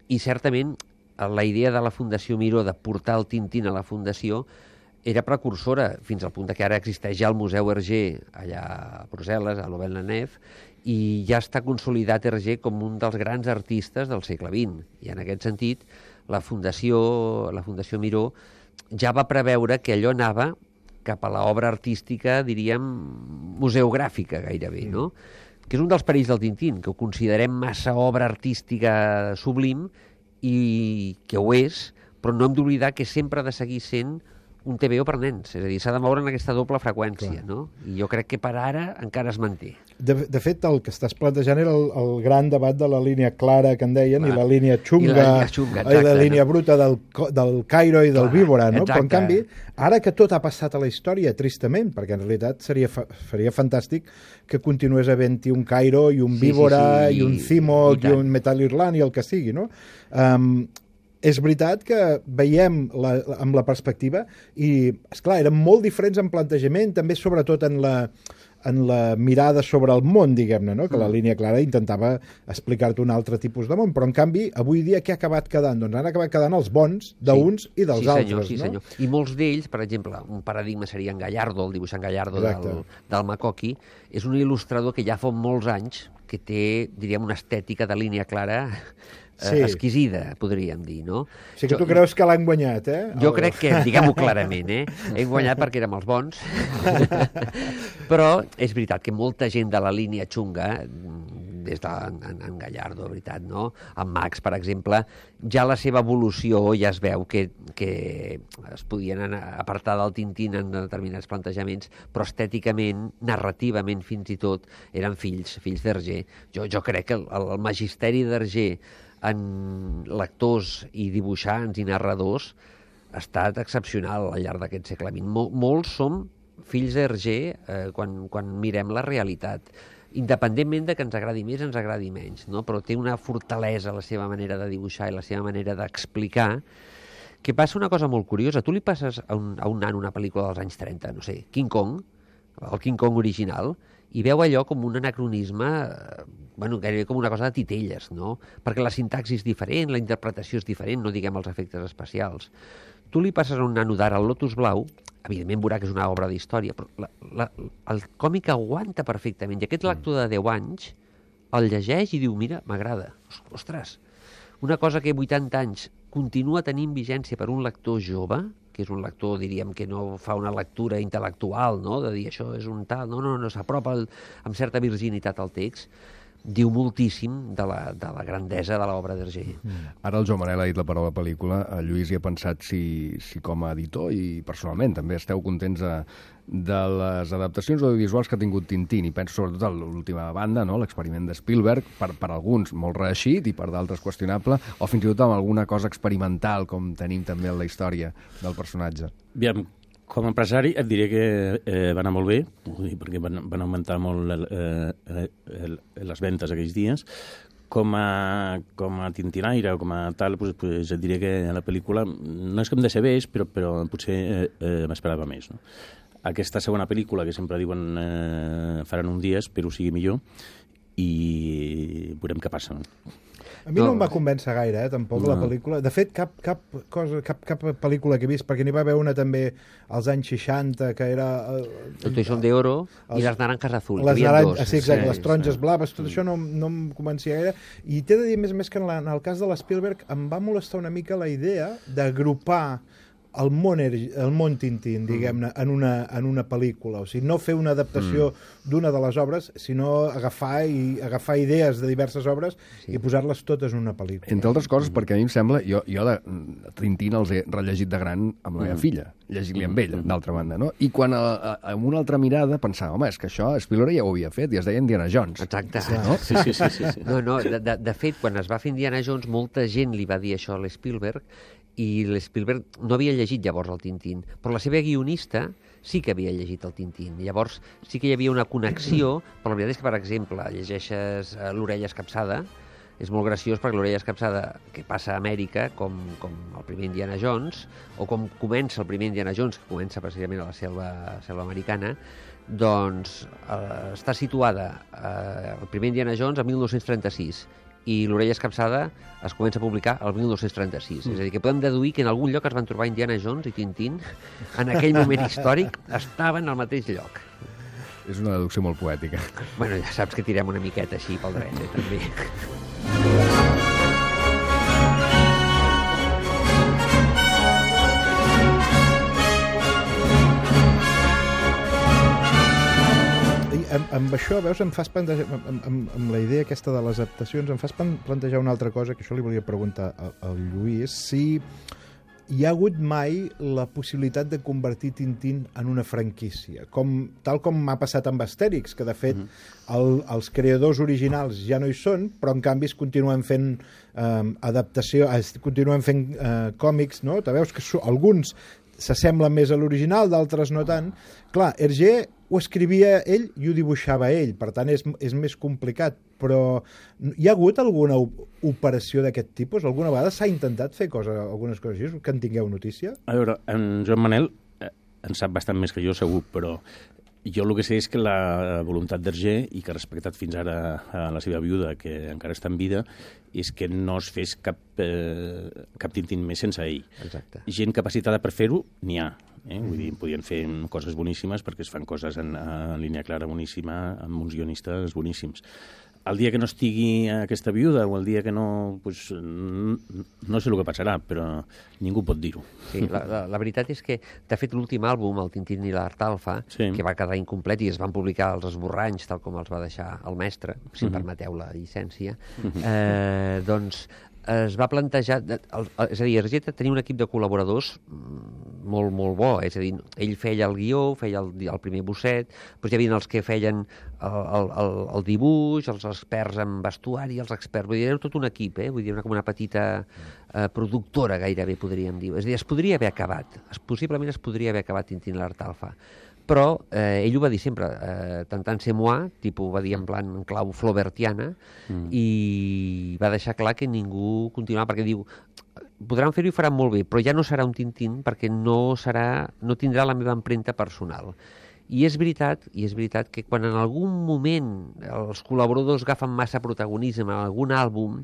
i certament la idea de la Fundació Miró de portar el Tintín a la Fundació era precursora fins al punt que ara existeix ja el Museu Hergé allà a Brussel·les, a l'Auvergne-Nef, i ja està consolidat Hergé com un dels grans artistes del segle vint. I en aquest sentit la Fundació, la Fundació Miró ja va preveure que allò anava cap a l'obra artística, diríem, museogràfica gairebé, no? Que és un dels perills del Tintín, que ho considerem massa obra artística sublim i que ho és, però no hem d'oblidar que sempre ha de seguir sent un T V O per nens, és a dir, s'ha de moure en aquesta doble freqüència, no? I jo crec que per ara encara es manté. De, de fet, el que estàs plantejant era el, el gran debat de la línia clara que en deien, Clar. i la línia xunga, I la línia xunga, i la exacte, línia no? bruta del, del Cairo i del Clar, Víbora, no? exacte. Però en canvi, ara que tot ha passat a la història, tristament, perquè en realitat seria, fa, seria fantàstic que continués havent-hi un Cairo i un Sí, Víbora sí, sí, i un i- Cimok i i, tant. un Metal Irland i el que sigui, no? Um, és veritat que veiem la, amb la perspectiva i, esclar, eren molt diferents en plantejament, també sobretot en la, en la mirada sobre el món, diguem-ne, no? Que la línia clara intentava explicar-te un altre tipus de món, però en canvi, avui dia què ha acabat quedant? Doncs han acabat quedant els bons d'uns Sí. i dels sí, senyor, altres, sí, no? senyor. I molts d'ells, per exemple, un paradigma seria en Gallardo, el dibuixant Gallardo Exacte. del, del Makoki, és un il·lustrador que ja fa molts anys que té, diríem, una estètica de línia clara Sí. eh, exquisida, podríem dir, no? O sigui que tu creus que l'han guanyat, eh? Jo El- crec que, diguem-ho clarament, eh? Hem guanyat perquè érem els bons. Però és veritat que molta gent de la línia xunga, des de en, en Gallardo, de veritat, no? En Max, per exemple, ja la seva evolució ja es veu que, que es podien anar, apartar del Tintín en determinats plantejaments, però estèticament, narrativament fins i tot, eren fills, fills d'Hergé. Jo, jo crec que el, el magisteri d'Hergé en lectors i dibuixants i narradors ha estat excepcional al llarg d'aquest segle vint. Mol, molts som fills d'Hergé eh, quan, quan mirem la realitat, independentment de que ens agradi més, ens agradi menys, no? Però té una fortalesa la seva manera de dibuixar i la seva manera d'explicar, que passa una cosa molt curiosa. Tu li passes a un, a un nano una pel·lícula dels anys trenta, no sé, King Kong, el King Kong original, i veu allò com un anacronisme, eh, bueno, gairebé com una cosa de titelles, no? Perquè la sintaxi és diferent, la interpretació és diferent, no diguem els efectes especials. Tu li passes a un nano d'ara el Lotus Blau, evidentment veurà que és una obra d'història, però la, la, el còmic aguanta perfectament. I aquest lector de deu anys el llegeix i diu, mira, m'agrada. Ostres, una cosa que vuitanta anys continua tenint vigència per un lector jove, que és un lector, diríem, que no fa una lectura intel·lectual, no?, de dir això és un tal, no, no, no, s'apropa el- amb certa virginitat al text, diu moltíssim de la, de la grandesa de l'obra d'Hergé. Ara el Joan Manel ha dit la paraula pel·lícula, el Lluís hi ha pensat si, si com a editor i personalment també esteu contents de, de les adaptacions audiovisuals que ha tingut Tintín, i penso sobretot a l'última banda, no? L'experiment de Spielberg, per, per alguns molt reeixit i per d'altres qüestionable, o fins i tot amb alguna cosa experimental com tenim també en la història del personatge. Aviam, com a empresari et diré que eh, va anar molt bé, vull dir, perquè van, van augmentar molt eh, eh, el, les ventes aquells dies. Com a, com a tintinaire o com a tal, pues, pues et diré que la pel·lícula no és que em decebés, però, però potser eh, eh, m'esperava més. No? Aquesta segona pel·lícula, que sempre diuen eh, faran un dia, espero sigui millor, i veurem què passa. No? A mi no, No. em va convèncer gaire, eh, tampoc, no. la pel·lícula. De fet, cap, cap, cosa, cap, cap pel·lícula que he vist, perquè n'hi va haver una també als anys seixanta, que era... Eh, El Toisón de Oro Els- i les naranjas azul. les, N'hi havia naran... dos. sí, exacte, Sí, les taronges sí. blaves, tot això no, no em convencia gaire. I t'he de dir, a més a més, que en, la, en el cas de l'Spielberg em va molestar una mica la idea d'agrupar el món, er- el món Tintín, diguem-ne, en, una, en una pel·lícula. O sigui, no fer una adaptació mm. d'una de les obres, sinó agafar i agafar idees de diverses obres sí. i posar-les totes en una pel·lícula. Entre altres coses, perquè a mi em sembla... Jo, jo de Tintín els he rellegit de gran amb la meva filla, llegint-li amb ella, d'altra banda, no? I quan a, a, amb una altra mirada pensava, home, és que això Spielberg ja ho havia fet, i es deia Indiana Jones. Exacte. No? Sí, sí, sí. sí, sí. No, no, de, de, de fet, quan es va fer Indiana Jones, molta gent li va dir això a l'Spielberg, i l'Spielberg no havia llegit llavors el Tintín, però la seva guionista sí que havia llegit el Tintín. Llavors sí que hi havia una connexió, però la veritat és que, per exemple, llegeixes uh, l'Orella Escapçada, és molt graciós perquè l'Orella Escapçada, que passa a Amèrica, com, com el primer Indiana Jones, o com comença el primer Indiana Jones, que comença precisament a la selva, selva americana, doncs eh, està situada eh, el primer Indiana Jones a mil nou-cents trenta-sis, i l'Orella Escapçada es comença a publicar el mil nou-cents trenta-sis. Mm. És a dir, que podem deduir que en algun lloc es van trobar Indiana Jones i Tintín, en aquell moment històric estaven al mateix lloc. És una deducció molt poètica. Bueno, ja saps que tirem una miqueta així pel dret, eh, també. I amb, amb això, veus, em fas plantejar, amb, amb, amb la idea aquesta de les adaptacions, em fas plan- plantejar una altra cosa, que això li volia preguntar al, al Lluís, si hi ha hagut mai la possibilitat de convertir Tintín en una franquícia, com, tal com m'ha passat amb Astèrix, que de fet uh -huh. el, els creadors originals ja no hi són, però en canvi es continuen fent eh, adaptació, es continuen fent eh, còmics, no? Te veus que so, alguns s'assemblen més a l'original, d'altres no tant. Clar, Hergé ho escrivia ell i ho dibuixava ell, per tant és, és més complicat, però hi ha hagut alguna operació d'aquest tipus? Alguna vegada s'ha intentat fer cosa, algunes coses així, que en tingueu notícia? A veure, en Joan Manel eh, en sap bastant més que jo, segur, però jo el que sé és que la voluntat d'Hergé, i que ha respectat fins ara a la seva viuda, que encara està en vida, és que no es fes cap, eh, cap Tintín més sense ell. Exacte. Gent capacitada per fer-ho, n'hi ha. Eh? Vull dir, podien fer coses boníssimes perquè es fan coses en, en línia clara boníssima, amb uns guionistes boníssims. El dia que no estigui aquesta viuda o el dia que no... Pues, no sé el que passarà, però ningú pot dir-ho. Sí, la, la, la veritat és que, de fet, l'últim àlbum, el Tintín i l'Art Alfa, sí. que va quedar incomplet i es van publicar els esborranys, tal com els va deixar el mestre, si em permeteu la llicència, eh, doncs es va plantejar... El, és a dir, Hergé tenia un equip de col·laboradors molt, molt bo. És a dir, ell feia el guió, feia el, el primer bosset, doncs hi havia els que feien el, el, el dibuix, els experts en vestuari, els experts... Vull dir, era tot un equip, eh? Vull dir, una, com una petita eh, productora, gairebé, podríem dir. És a dir, es podria haver acabat. Es, possiblement es podria haver acabat Tintín i l'Art Alfa. Però eh, ell ho va dir sempre, eh, tentant ser moi, tipus, ho va dir en plan en clau flaubertiana, mm. i va deixar clar que ningú continuava, perquè diu, podran fer-ho i faran molt bé, però ja no serà un Tintín perquè no serà, no tindrà la meva empremta personal. I és veritat, i és veritat que quan en algun moment els col·laboradors agafen massa protagonisme en algun àlbum,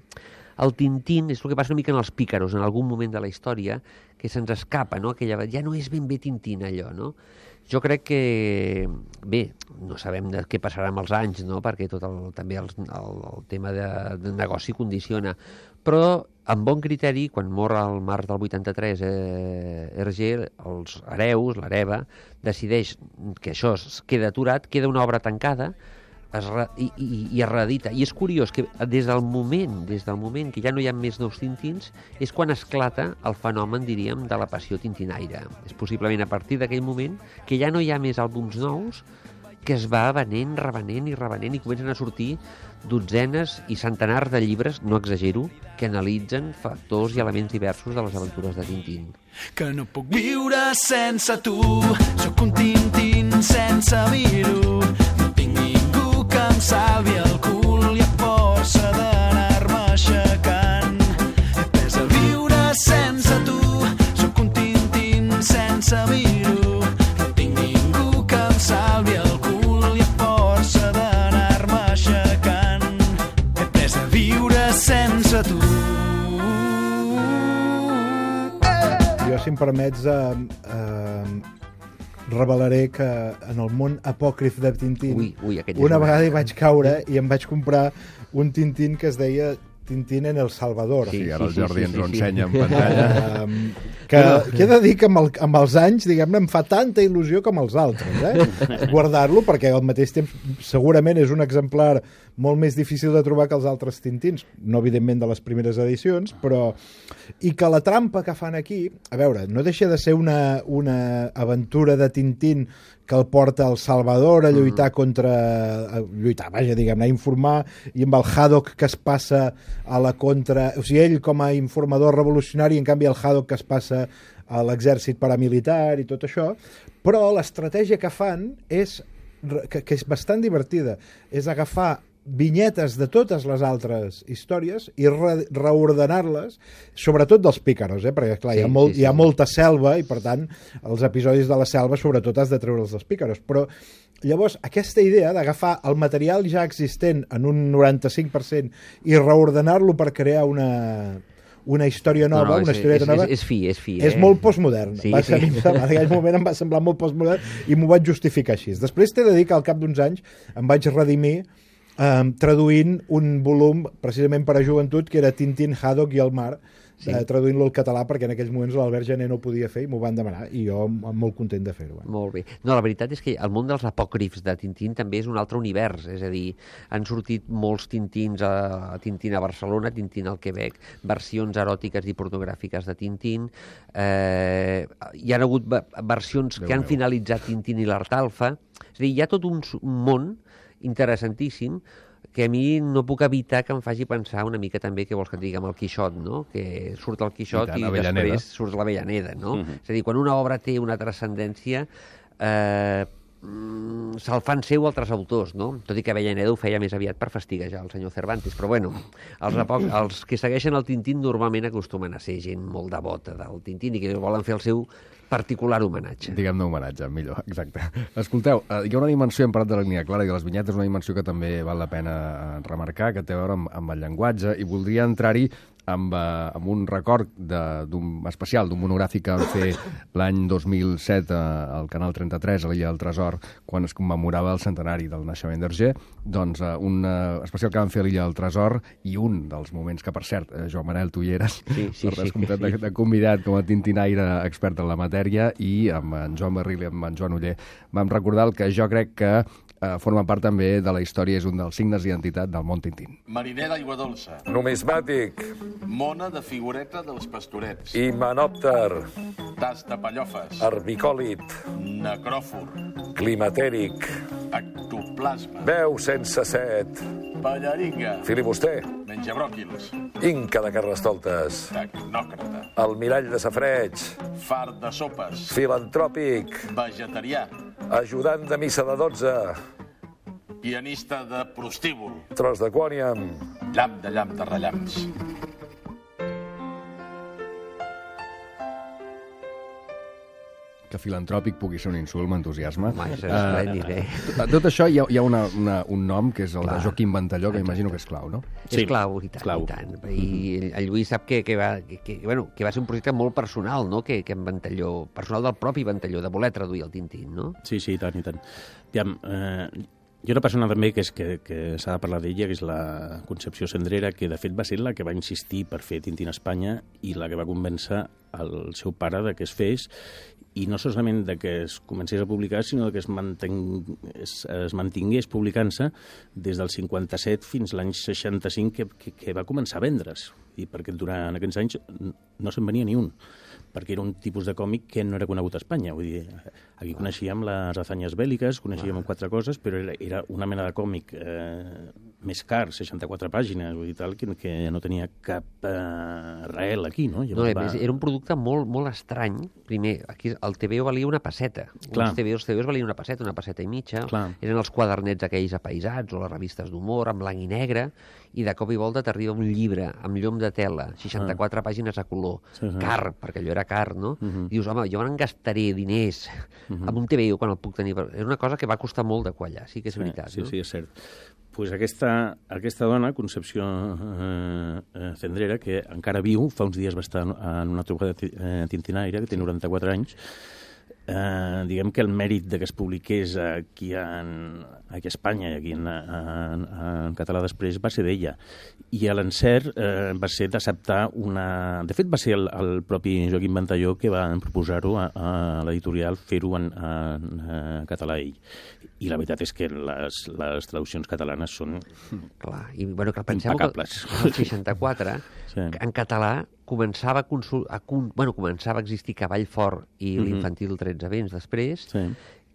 el Tintín és el que passa una mica en els pícaros, en algun moment de la història, que se'ns escapa, no? Aquella, ja no és ben bé Tintín, allò, no? Jo crec que, bé, no sabem de què passarà amb els anys, no? Perquè tot el, també el, el, el tema de, de negoci condiciona, però amb bon criteri, quan mor al març del vuitanta-tres eh, Hergé, els hereus, l'hereva, decideix que això es queda aturat, queda una obra tancada, es re, i, i, i es reedita. I és curiós que des del moment des del moment que ja no hi ha més nous Tintins és quan esclata el fenomen, diríem, de la passió tintinaire. És possiblement a partir d'aquell moment que ja no hi ha més àlbums nous, que es va venent, revenent i revenent i comencen a sortir dotzenes i centenars de llibres, no exagero, que analitzen factors i elements diversos de les aventures de Tintín. Que no puc viure sense tu, sóc un Tintín sense vir-ho, no tinc ningú que em salvi el cul i a força d'anar-me aixecant. He pres a viure sense tu, sóc un Tintín sense vir-ho, no tinc ningú que em salvi el cul i a força d'anar-me aixecant. He pres a viure sense tu. Jo, si em permets, eh, eh, revelaré que en el món apòcrif de Tintín ui, ui, una vegada hi vaig caure i em vaig comprar un Tintín que es deia Tintín en El Salvador. Sí, ara el sí, Jordi sí, ens sí, ho sí. ensenya en pantalla. Um, que, que he de dir que amb, el, amb els anys, diguem-ne, em fa tanta il·lusió com els altres, eh? Guardar-lo, perquè al mateix temps segurament és un exemplar molt més difícil de trobar que els altres Tintins, no evidentment de les primeres edicions, però... I que la trampa que fan aquí, a veure, no deixa de ser una, una aventura de Tintín que el porta al Salvador a lluitar contra... A lluitar, vaja, diguem-ne, a informar, i amb el Haddock que es passa a la contra... O sigui, ell com a informador revolucionari, en canvi el Haddock que es passa a l'exèrcit paramilitar i tot això, però l'estratègia que fan és, que, que és bastant divertida, és agafar vinyetes de totes les altres històries i re reordenar-les, sobretot dels pícaros, eh? Perquè clar, sí, hi, ha molt, sí, sí. hi ha molta selva i per tant els episodis de la selva sobretot has de treure'ls dels pícaros, però llavors aquesta idea d'agafar el material ja existent en un noranta-cinc per cent i reordenar-lo per crear una... una història nova, no, no, és, una historieta és, nova... És, és fi, és fi. És eh? molt postmodern. Sí, va ser, sí. En aquell moment em va semblar molt postmodern i m'ho vaig justificar així. Després t'he de dir que al cap d'uns anys em vaig redimir eh, traduint un volum precisament per a joventut que era Tintín, Haddock i el mar, sí. eh, traduint-lo al català, perquè en aquells moments l'Albert Gené no ho podia fer i m'ho van demanar, i jo molt content de fer-ho. Eh? Molt bé. No, la veritat és que el món dels apòcrifs de Tintín també és un altre univers, és a dir, han sortit molts Tintins a, a Tintín a Barcelona, Tintín al Quebec, versions eròtiques i pornogràfiques de Tintín, eh, hi ha hagut versions Déu que han meu. finalitzat Tintín i l'Artalfa, és a dir, hi ha tot un, un món interessantíssim que a mi no puc evitar que em faci pensar una mica també, que vols que et digui, amb el Quixot, no? Que surt el Quixot i, i després surt l'Avellaneda, no? Uh-huh. És a dir, quan una obra té una transcendència, eh, se'l fan seu altres autors, no? Tot i que Avellaneda ho feia més aviat per fastiguejar el senyor Cervantes, però bueno, els, apoc, els que segueixen el Tintín normalment acostumen a ser gent molt devota del Tintín i que volen fer el seu particular homenatge. Diguem-ne homenatge, millor, exacte. Escolteu, hi ha una dimensió, hem parlat de la línia clara i de les vinyetes, una dimensió que també val la pena remarcar, que té a veure amb, amb el llenguatge, i voldria entrar-hi amb, uh, amb un record d'un especial, d'un monogràfic que vam fer l'any dos mil set uh, al Canal trenta-tres, a l'Illa del Tresor, quan es commemorava el centenari del naixement d'Hergé, doncs uh, un uh, especial que vam fer a l'Illa del Tresor, i un dels moments que, per cert, uh, Joan Manel, tu hi eres, sí, sí, per sí, de, de convidat com a tintinaire expert en la matèria, i amb en Joan Barril i amb en Joan Oller vam recordar el que jo crec que uh, forma part també de la història, és un dels signes d'identitat del món Tintín. Mariner d'aigua dolça. Numismàtic. Mona de figureta dels pastorets. Himenòpter. Tas de pallofes. Herbicòlit. Necròfor. Climatèric. Ectoplasma. Veu sense set. Ballaringa. Filibuster. Menjabròquils. Inca de Carnestoltes. Tecnòcrata. Almirall de safreig. Far de sopes. Filantròpic. Vegetarià. Ajudant de missa de dotze. Pianista de prostíbul. Tros de quòniam. Llamp de llamp de rellamps. Que filantròpic pugui ser un insult, m'entusiasma. Home, és esplèndid, eh? Uh, tot això hi ha, hi ha una, una, un nom, que és el Clar. de Joaquim Ventalló, que imagino que és clau, no? Sí. És clau, i tant, clau. i tant. I el Lluís sap que, que, va, que, que, bueno, que va ser un projecte molt personal, no?, que, que en Ventalló, personal del propi Ventalló, de voler traduir el Tintín, no? Sí, sí, i tant, i tant. Aviam, eh, hi ha una persona també que, és, que, que s'ha de parlar d'ella, que és la Concepció Cendrera, que de fet va ser la que va insistir per fer Tintín a Espanya i la que va convèncer el seu pare de que es fes, i no solament de que es comencés a publicar, sinó que es, manteng... es, es mantingués publicant-se des del cinquanta-set fins l'any seixanta-cinc, que, que, que va començar a vendre's, i perquè durant aquests anys no se'n venia ni un, perquè era un tipus de còmic que no era conegut a Espanya. Vull dir, aquí coneixíem les hazanyes bèl·liques, coneixíem quatre coses, però era, era una mena de còmic eh, més car, seixanta-quatre pàgines, vull dir, tal, que, que no tenia cap eh, reel aquí, no? No, va... Era un producte molt, molt estrany. Primer, aquí el T V O valia una pesseta. Clar. Els T V Os, T V Os valien una pesseta, una pesseta i mitja. Clar. Eren els quadernets aquells apaisats o les revistes d'humor, en blanc i negre, i de cop i volta t'arriba un llibre amb llom de tela, seixanta-quatre ah. pàgines a color, sí, sí. car, perquè allò era car, no? Uh -huh. Dius, home, jo me'n gastaré diners uh -huh. amb un T V O quan el puc tenir. És una cosa que va costar molt de quallar, sí que és sí, veritat. Sí, no? sí, és cert. Pues aquesta, aquesta dona, Concepció eh, eh, Cendrera, que encara viu, fa uns dies va estar en una trobada eh, tintinaire, que té noranta-quatre anys, eh, diguem que el mèrit de que es publiqués aquí, en, aquí a Espanya i aquí en, en, en català després va ser d'ella. I l'encert eh, va ser d'acceptar una... De fet, va ser el, el propi Joaquim Ventalló que va proposar-ho a, a l'editorial, fer-ho en, en, en català ell. I la veritat és que les, les traduccions catalanes són Clar, i bueno, que pensem impecables. Que el seixanta-quatre, sí. en català, començava a, consul... a, bueno, començava a existir Cavall Fort i mm -hmm. l'Infantil tretze vents després, sí.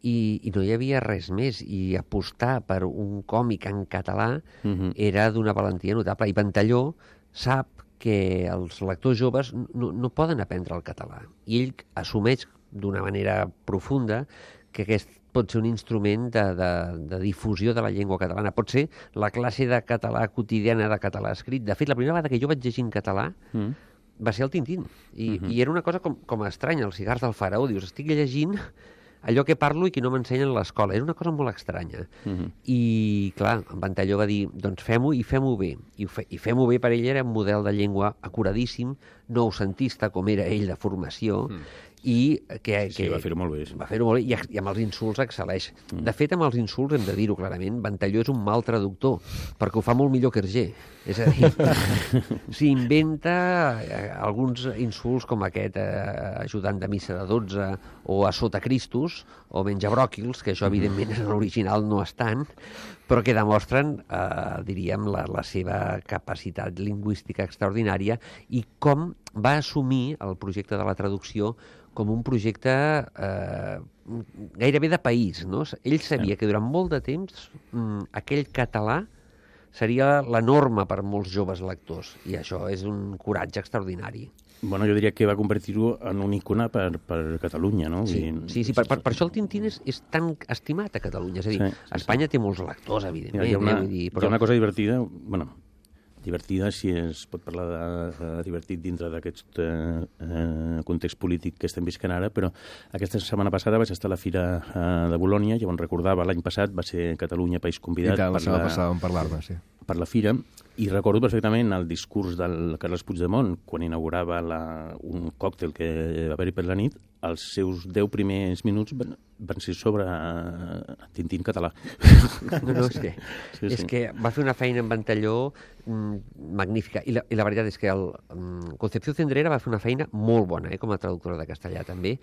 i, i no hi havia res més, i apostar per un còmic en català mm -hmm. era d'una valentia notable, i Ventalló sap que els lectors joves no, no poden aprendre el català, i ell assumeix d'una manera profunda que aquest pot ser un instrument de, de, de difusió de la llengua catalana. Pot ser la classe de català quotidiana de català escrit. De fet, la primera vegada que jo vaig llegir en català mm. va ser el Tintín. I, uh-huh. i era una cosa com, com estranya, els cigars del faraó. Dius, estic llegint allò que parlo i que no m'ensenyen a l'escola. Era una cosa molt estranya. Uh-huh. I, clar, en Ventalló va dir, doncs fem-ho i fem-ho bé. I, fe, i fem-ho bé per ell era un model de llengua acuradíssim, noucentista, com era ell de formació, uh-huh. i que, Sí, que va fer-ho molt bé. Sí. va fer-ho molt bé i, i amb els insults excel·leix. Mm. De fet, amb els insults hem de dir-ho clarament, Ventalló és un mal traductor, perquè ho fa molt millor que Hergé. És a dir, s'inventa eh, alguns insults com aquest eh, ajudant de missa de dotze o a sota Cristos o menjabròquils, que això evidentment en l'original no estan, però que demostren, eh, diríem, la, la seva capacitat lingüística extraordinària i com va assumir el projecte de la traducció com un projecte eh, gairebé de país, no? Ell sabia que durant molt de temps mm, aquell català seria la norma per molts joves lectors, i això és un coratge extraordinari. Bueno, jo diria que va convertir-ho en un icona per, per Catalunya, no? Sí, sí, sí per, per, per això el Tintín és, és tan estimat a Catalunya. És a dir, Sí, sí, Espanya té molts lectors, evidentment. Hi ha una, eh, vull dir, hi ha una cosa divertida, bueno, divertida si es pot parlar de, de divertit dintre d'aquest eh, eh, context polític que estem visquent ara, però aquesta setmana passada vaig estar a la Fira eh, de Bolònia, i on recordava l'any passat va ser Catalunya país convidat. I tant, la per setmana passada vam parlar-ne, sí. per la Fira, i recordo perfectament el discurs del Carles Puigdemont quan inaugurava la, un còctel que va haver-hi per la nit. Els seus deu primers minuts van, van ser sobre uh, Tintín català. No, no, és que, Sí, és sí. que va fer una feina en Ventalló mm, magnífica. I la, I la veritat és que el, mm, Concepció Cendrera va fer una feina molt bona, eh, com a traductora de castellà també,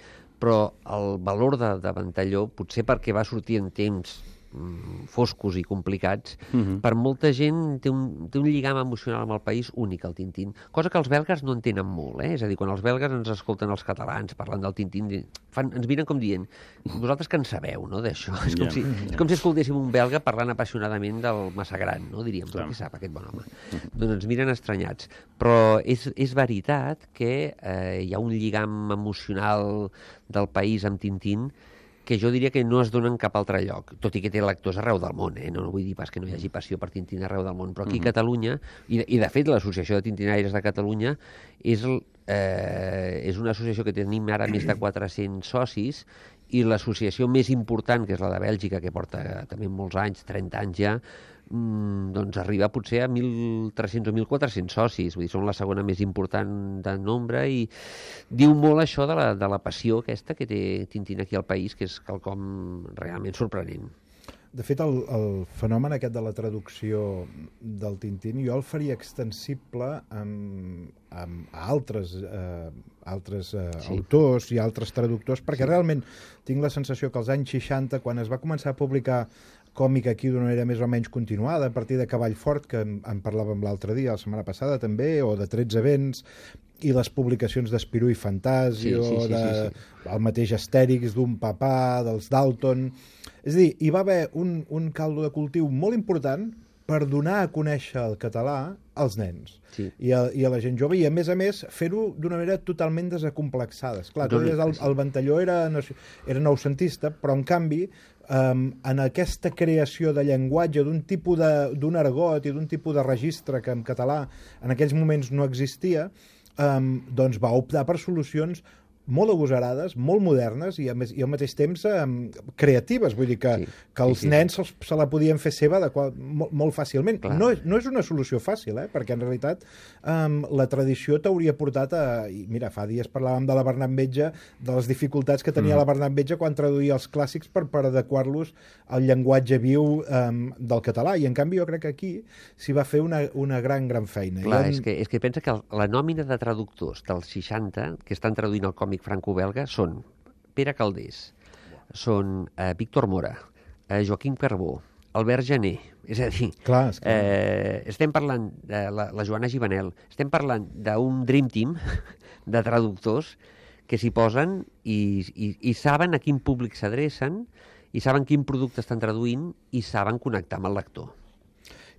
però el valor de, de Ventalló, potser perquè va sortir en temps mm, foscos i complicats, Mhm. per molta gent té un, té un lligam emocional amb el país únic, el Tintín, cosa que els belgues no entenen molt, eh? És a dir, quan els belgues ens escolten els catalans parlant del Tintín, fan, ens miren com dient, vosaltres que en sabeu, no?, d'això. És, com Ja, si, ja. és com si escoltéssim un belga parlant apassionadament del Massagran, no?, diríem, Clar. però què sap aquest bon home? Doncs ens miren estranyats. Però és, és veritat que eh, hi ha un lligam emocional del país amb Tintín que jo diria que no es dona en cap altre lloc, tot i que té lectors arreu del món, eh? no, no vull dir pas que no hi hagi passió per Tintín arreu del món, però aquí a Catalunya, i, i de fet l'Associació de Tintinaires de Catalunya és, el, eh, és una associació que tenim ara més de quatre-cents socis, i l'associació més important, que és la de Bèlgica, que porta també molts anys, trenta anys ja, mm, doncs arriba potser a mil tres-cents o mil quatre-cents socis, vull dir, són la segona més important de nombre, i diu molt això de la, de la passió aquesta que té Tintín aquí al país, que és quelcom realment sorprenent. De fet, el, el fenomen aquest de la traducció del Tintín jo el faria extensible amb, amb a altres, eh, altres eh, Sí. autors i altres traductors, perquè realment tinc la sensació que als anys seixanta, quan es va començar a publicar còmic aquí d'una manera més o menys continuada, a partir de Cavall Fort, que en, en parlàvem l'altre dia, la setmana passada també, o de tretze vents, i les publicacions d'Espirú i Fantasio, Sí, sí, sí, de, sí, sí. el mateix Astèrix, d'un papà, dels Dalton. És a dir, hi va haver un, un caldo de cultiu molt important per donar a conèixer el català als nens Sí. i, a, i a la gent jove, i a més a més fer-ho d'una manera totalment desacomplexada. Esclar, tu No, no, deies, el, sí. el Ventalló era, era noucentista, però en canvi um, en aquesta creació de llenguatge, d'un tipus de, d'un argot i d'un tipus de registre que en català en aquells moments no existia, um, doncs va optar per solucions molt agosarades, molt modernes i, a més, i al mateix temps um, creatives. Vull dir que, Sí, que els sí, sí. nens se'ls- se la podien fer seva de qual, molt, molt fàcilment. Clar. No, és- no és una solució fàcil, eh? Perquè en realitat um, la tradició t'hauria portat a... I mira, fa dies parlàvem de la Bernat Metge, de les dificultats que tenia mm. la Bernat Metge quan traduïa els clàssics per, per adequar-los al llenguatge viu um, del català. I en canvi jo crec que aquí s'hi va fer una, una gran, gran feina. Clar, I és que, és que pensa que el, la nòmina de traductors dels seixanta, que estan traduint el còmic franco-belga, són Pere Calders, són eh, Víctor Mora, eh, Joaquim Carbó, Albert Jané, és a dir, Clar, és clar. eh, estem parlant de la, la Joana Givanel, estem parlant d'un dream team de traductors que s'hi posen i, i, i saben a quin públic s'adrecen, i saben quin producte estan traduint, i saben connectar amb el lector.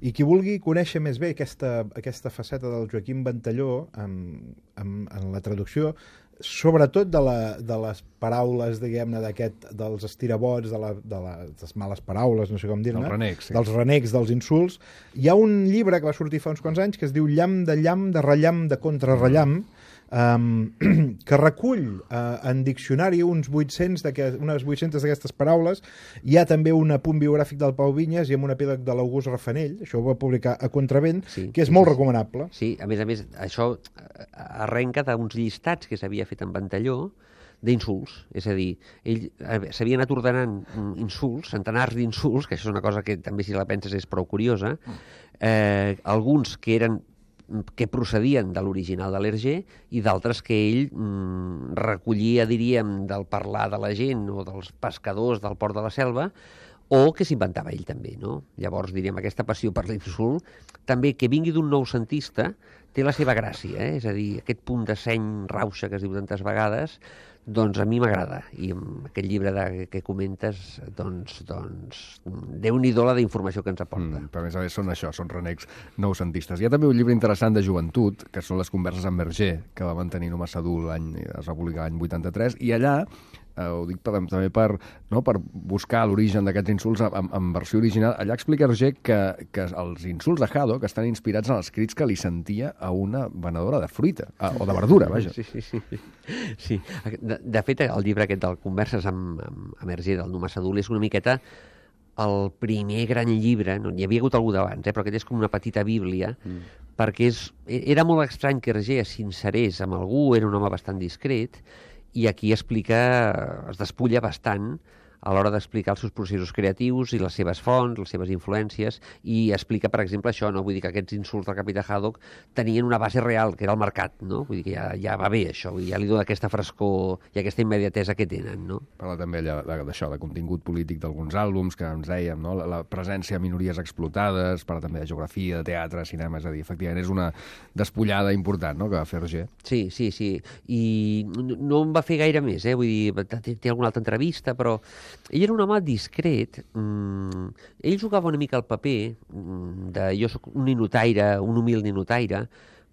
I qui vulgui conèixer més bé aquesta, aquesta faceta del Joaquim Ventalló en, en, en la traducció, sobretot de, la, de les paraules, diguem-ne, d'aquest, dels estirabots, de, la, de, la, de les males paraules, no sé com dir-ne, Dels renecs, sí. dels renecs, dels insults. Hi ha un llibre que va sortir fa uns quants anys que es diu Llamp de llamp, de rellamp, de contrarrellamp, um, que recull uh, en diccionari uns vuit-cents unes vuit-centes d'aquestes paraules. Hi ha també un apunt biogràfic del Pau Vinyes i amb un epíleg de l'August Rafanell, això ho va publicar a Contravent, Sí, que és sí, molt sí, sí. recomanable. Sí, a més a més, això arrenca d'uns llistats que s'havia fet en Ventalló d'insults. És a dir, ell s'havia anat ordenant insults, centenars d'insults, que això és una cosa que també, si la penses, és prou curiosa, eh, alguns que eren que procedien de l'original de l'Hergé i d'altres que ell mm, recollia, diríem, del parlar de la gent o dels pescadors del Port de la Selva, o que s'inventava ell també, no? Llavors, diríem, aquesta passió per l'insult, també que vingui d'un noucentista, té la seva gràcia, eh? És a dir, aquest punt de seny rauxa que es diu tantes vegades, doncs a mi m'agrada. I amb aquest llibre de, que comentes, doncs, doncs Déu-n'hi-do la d'informació que ens aporta. Mm, però a més a més són això, són renecs noucentistes. Hi ha també un llibre interessant de joventut, que són les converses amb Hergé, que va mantenir Numa Sadul, l'any, es va publicar l'any vuitanta-tres, i allà eh, ho dic per, també per, no, per buscar l'origen d'aquests insults en, en versió original. Allà explica Hergé que, que els insults de Haddock estan inspirats en els crits que li sentia a una venedora de fruita, a, o de verdura, vaja. Sí, sí, sí. sí. De, de fet, el llibre aquest del Converses amb, amb, amb Hergé, del Numa Sadul, és una miqueta el primer gran llibre, no, hi havia hagut algú d'abans, eh, però aquest és com una petita bíblia, mm. perquè és, era molt estrany que Hergé es sincerés amb algú, era un home bastant discret, i aquí explica, es despulla bastant a l'hora d'explicar els seus processos creatius i les seves fonts, les seves influències, i explica, per exemple, això, no? Vull dir que aquests insults del capità Haddock tenien una base real, que era el mercat, no? Vull dir que ja, ja va bé, això, vull dir, ja li dona aquesta frescor i aquesta immediatesa que tenen, no? Parla també d'això, de contingut polític d'alguns àlbums, que ens dèiem, no? La, la presència de minories explotades, parla també de geografia, de teatre, cinema, és a dir, efectivament és una despullada important, no?, que va fer Hergé. Sí, sí, sí, i no em va fer gaire més, eh? Vull dir, té, té alguna altra entrevista, però ell era un home discret, mm, ell jugava una mica el paper mm, de jo soc un ninotaire, un humil ninotaire,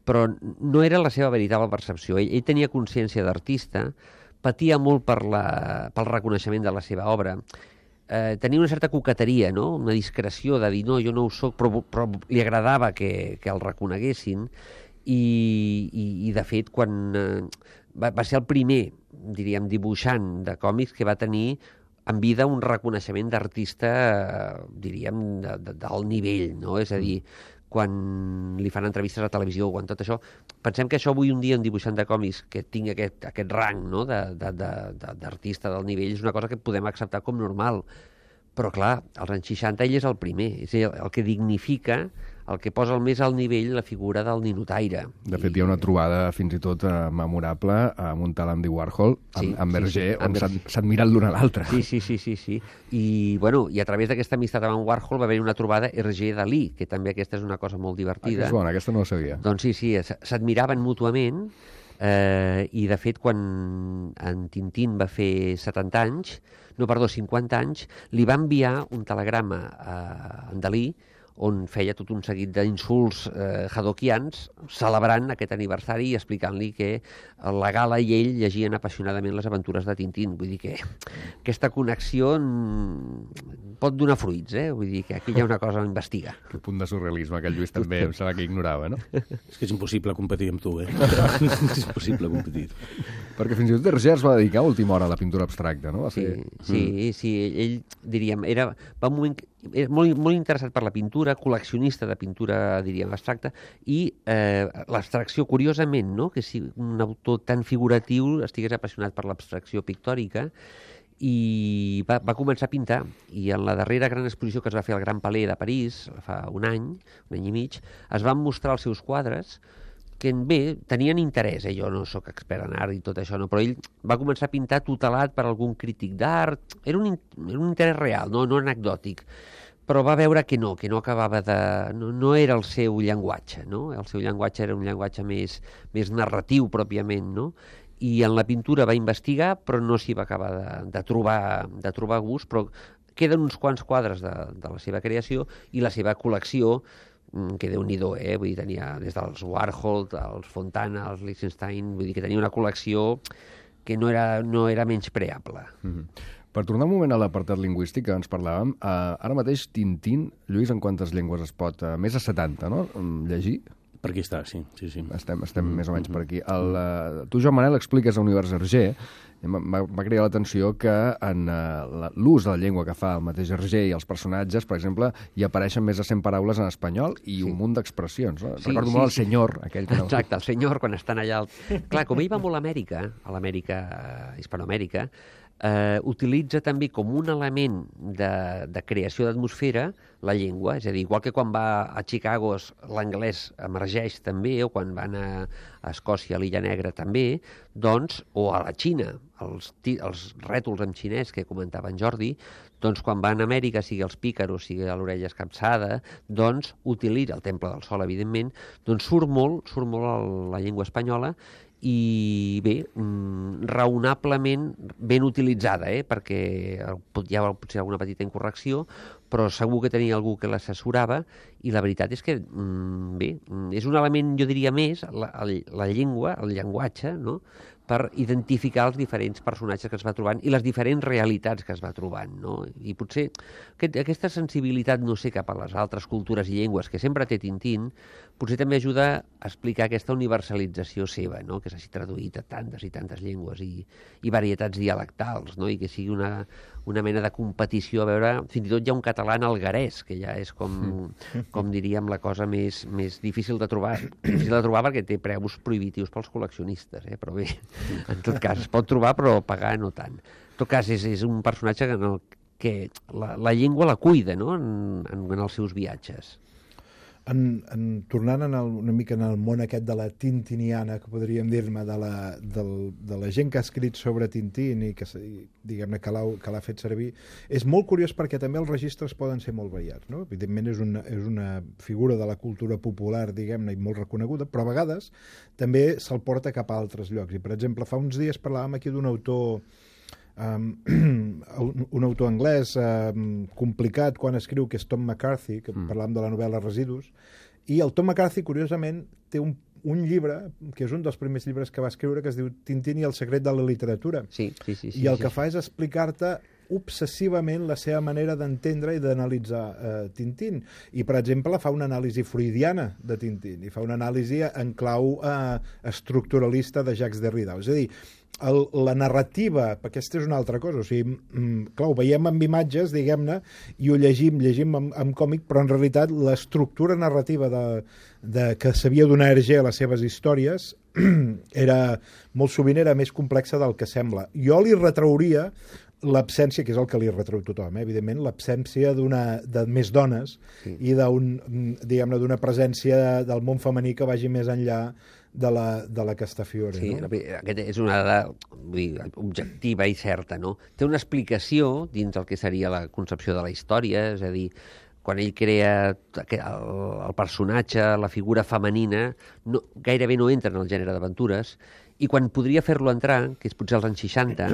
però no era la seva veritable percepció. Ell, ell tenia consciència d'artista, patia molt per la, pel reconeixement de la seva obra, eh, tenia una certa coqueteria, no? Una discreció de dir, no, jo no ho soc, però, però li agradava que, que el reconeguessin, i, i, i de fet, quan eh, va, va ser el primer, diríem, dibuixant de còmics que va tenir en vida un reconeixement d'artista, eh, diríem, de, de, del nivell, no? És a dir, quan li fan entrevistes a televisió o quan tot això, pensem que això avui un dia un dibuixant de còmics que tingui aquest, aquest rang, no?, d'artista de, de, de, del nivell és una cosa que podem acceptar com normal. Però, clar, als anys seixanta ell és el primer, és el, el que dignifica, el que posa el més al nivell la figura del ninotaire. De fet, I... hi ha una trobada fins i tot eh, memorable amb un tal Andy Warhol, amb, sí, amb Hergé, sí, sí. on s'han mirat l'un a l'altre. Sí, sí, sí, sí, sí. I, bueno, i a través d'aquesta amistat amb Warhol va haver una trobada Hergé-Dalí, que també aquesta és una cosa molt divertida. Ah, és bona, aquesta no la sabia. Doncs sí, sí, s'admiraven mútuament, eh, i de fet, quan en Tintín va fer setanta anys, no, perdó, cinquanta anys, li va enviar un telegrama a en Dalí on feia tot un seguit d'insults eh, haddockians, celebrant aquest aniversari i explicant-li que la Gala i ell llegien apassionadament les aventures de Tintín. Vull dir que aquesta connexió pot donar fruits, eh? Vull dir que aquí hi ha una cosa a investigar. Que punt de surrealisme, que el Lluís també em sembla que ignorava, no? És que és impossible competir amb tu, eh? És impossible competir. Perquè fins i tot Hergé es va dedicar a última hora a la pintura abstracta, no? Sí, sí, mm. sí, ell, diríem, era, va un moment, era molt, molt interessat per la pintura, col·leccionista de pintura, diríem, abstracta, i eh, l'abstracció, curiosament, no?, que si un autor tan figuratiu estigués apassionat per l'abstracció pictòrica, i va, va començar a pintar, i en la darrera gran exposició que es va fer al Gran Palais de París, fa un any, un any i mig, es van mostrar els seus quadres, que bé, tenien interès, eh? Jo no sóc expert en art i tot això, no? Però ell va començar a pintar tutelat per algun crític d'art, era un, era un interès real, no, no anecdòtic, però va veure que no, que no acabava de... no, no era el seu llenguatge, no? El seu llenguatge era un llenguatge més, més narratiu, pròpiament, no? I en la pintura va investigar, però no s'hi va acabar de, de, trobar, de trobar gust, però queden uns quants quadres de, de la seva creació i la seva col·lecció, que Déu-n'hi-do, eh? Vull dir, tenia des dels Warhol, els Fontana, els Lichtenstein, vull dir que tenia una col·lecció que no era, no era menyspreable. Mm-hmm. Per tornar un moment a l'apartat lingüístic que ens parlàvem, eh, ara mateix Tintín, Lluís, en quantes llengües es pot? Eh, més de setanta, no?, llegir? Per aquí està, sí. sí, sí. Estem, estem més o menys per aquí. El, uh, tu, Joan Manel, expliques a Univers Hergé, m'ha creat l'atenció que en uh, l'ús de la llengua que fa el mateix Hergé i els personatges, per exemple, hi apareixen més de cent paraules en espanyol i sí. un munt d'expressions. No? Sí, Recordo sí, molt el sí. senyor, aquell que no... Exacte, el senyor, quan estan allà... El... Clar, com ell va molt a Amèrica, a l'Amèrica, uh, Hispanoamèrica, eh, utilitza també com un element de, de creació d'atmosfera la llengua, és a dir, igual que quan va a Chicago l'anglès emergeix també, o quan van a, a Escòcia, a l'Illa Negra també, doncs, o a la Xina, els, els rètols en xinès que comentava en Jordi, doncs quan van a Amèrica, sigui els pícaros, sigui a l'orella escapçada, doncs utilitza el Temple del Sol, evidentment, doncs surt molt, surt molt el, la llengua espanyola, i bé, raonablement ben utilitzada, eh? Perquè hi ha potser alguna petita incorrecció, però segur que tenia algú que l'assessorava, i la veritat és que, bé, és un element, jo diria més, la, la llengua, el llenguatge, no?, per identificar els diferents personatges que es va trobant i les diferents realitats que es va trobant, no? I potser aquest, aquesta sensibilitat, no sé, cap a les altres cultures i llengües que sempre té Tintín, potser també ajuda a explicar aquesta universalització seva, no?, que s'hagi traduït a tantes i tantes llengües i, i varietats dialectals, no?, i que sigui una, una mena de competició a veure... Fins i tot hi ha un català en alguerès, que ja és com, com diríem, la cosa més, més difícil de trobar. Difícil de trobar perquè té preus prohibitius pels col·leccionistes, eh? Però bé, en tot cas, es pot trobar, però pagar no tant. En tot cas, és, és un personatge que, en el, que la, la llengua la cuida, no?, en, en, en els seus viatges. En, en, tornant en el, una mica en el món aquest de la tintiniana, que podríem dir-me, de, la, del, de la gent que ha escrit sobre Tintín i que, diguem-ne, que l'ha fet servir, és molt curiós perquè també els registres poden ser molt variats, no? Evidentment és una, és una figura de la cultura popular, diguem-ne, i molt reconeguda, però a vegades també se'l porta cap a altres llocs. I, per exemple, fa uns dies parlàvem aquí d'un autor Um, un, un autor anglès um, complicat quan escriu, que és Tom McCarthy, que mm. parlàvem de la novel·la Residus, i el Tom McCarthy, curiosament, té un, un llibre, que és un dels primers llibres que va escriure, que es diu Tintín i el secret de la literatura. Sí, sí, sí, sí, I el sí, que sí. fa és explicar-te obsessivament la seva manera d'entendre i d'analitzar eh, Tintín. I, per exemple, fa una anàlisi freudiana de Tintín, i fa una anàlisi en clau eh, estructuralista de Jacques Derrida. És a dir, el, la narrativa, perquè aquesta és una altra cosa, o sigui, mm, clar, ho veiem amb imatges, diguem-ne, i ho llegim, llegim amb, amb còmic, però en realitat l'estructura narrativa de, de, que sabia donar Hergé a les seves històries era, molt sovint era més complexa del que sembla. Jo li retrauria l'absència, que és el que li retreu tothom, eh? Evidentment, l'absència d'una de més dones sí. i d'un, diguem-ne, d'una presència del món femení que vagi més enllà de la, de la Castafiore. Sí, no? Aquesta és una dada vull dir, objectiva i certa, no? Té una explicació dins el que seria la concepció de la història, és a dir, quan ell crea el, el personatge, la figura femenina, no, gairebé no entra en el gènere d'aventures, i quan podria fer-lo entrar, que és potser als anys seixanta,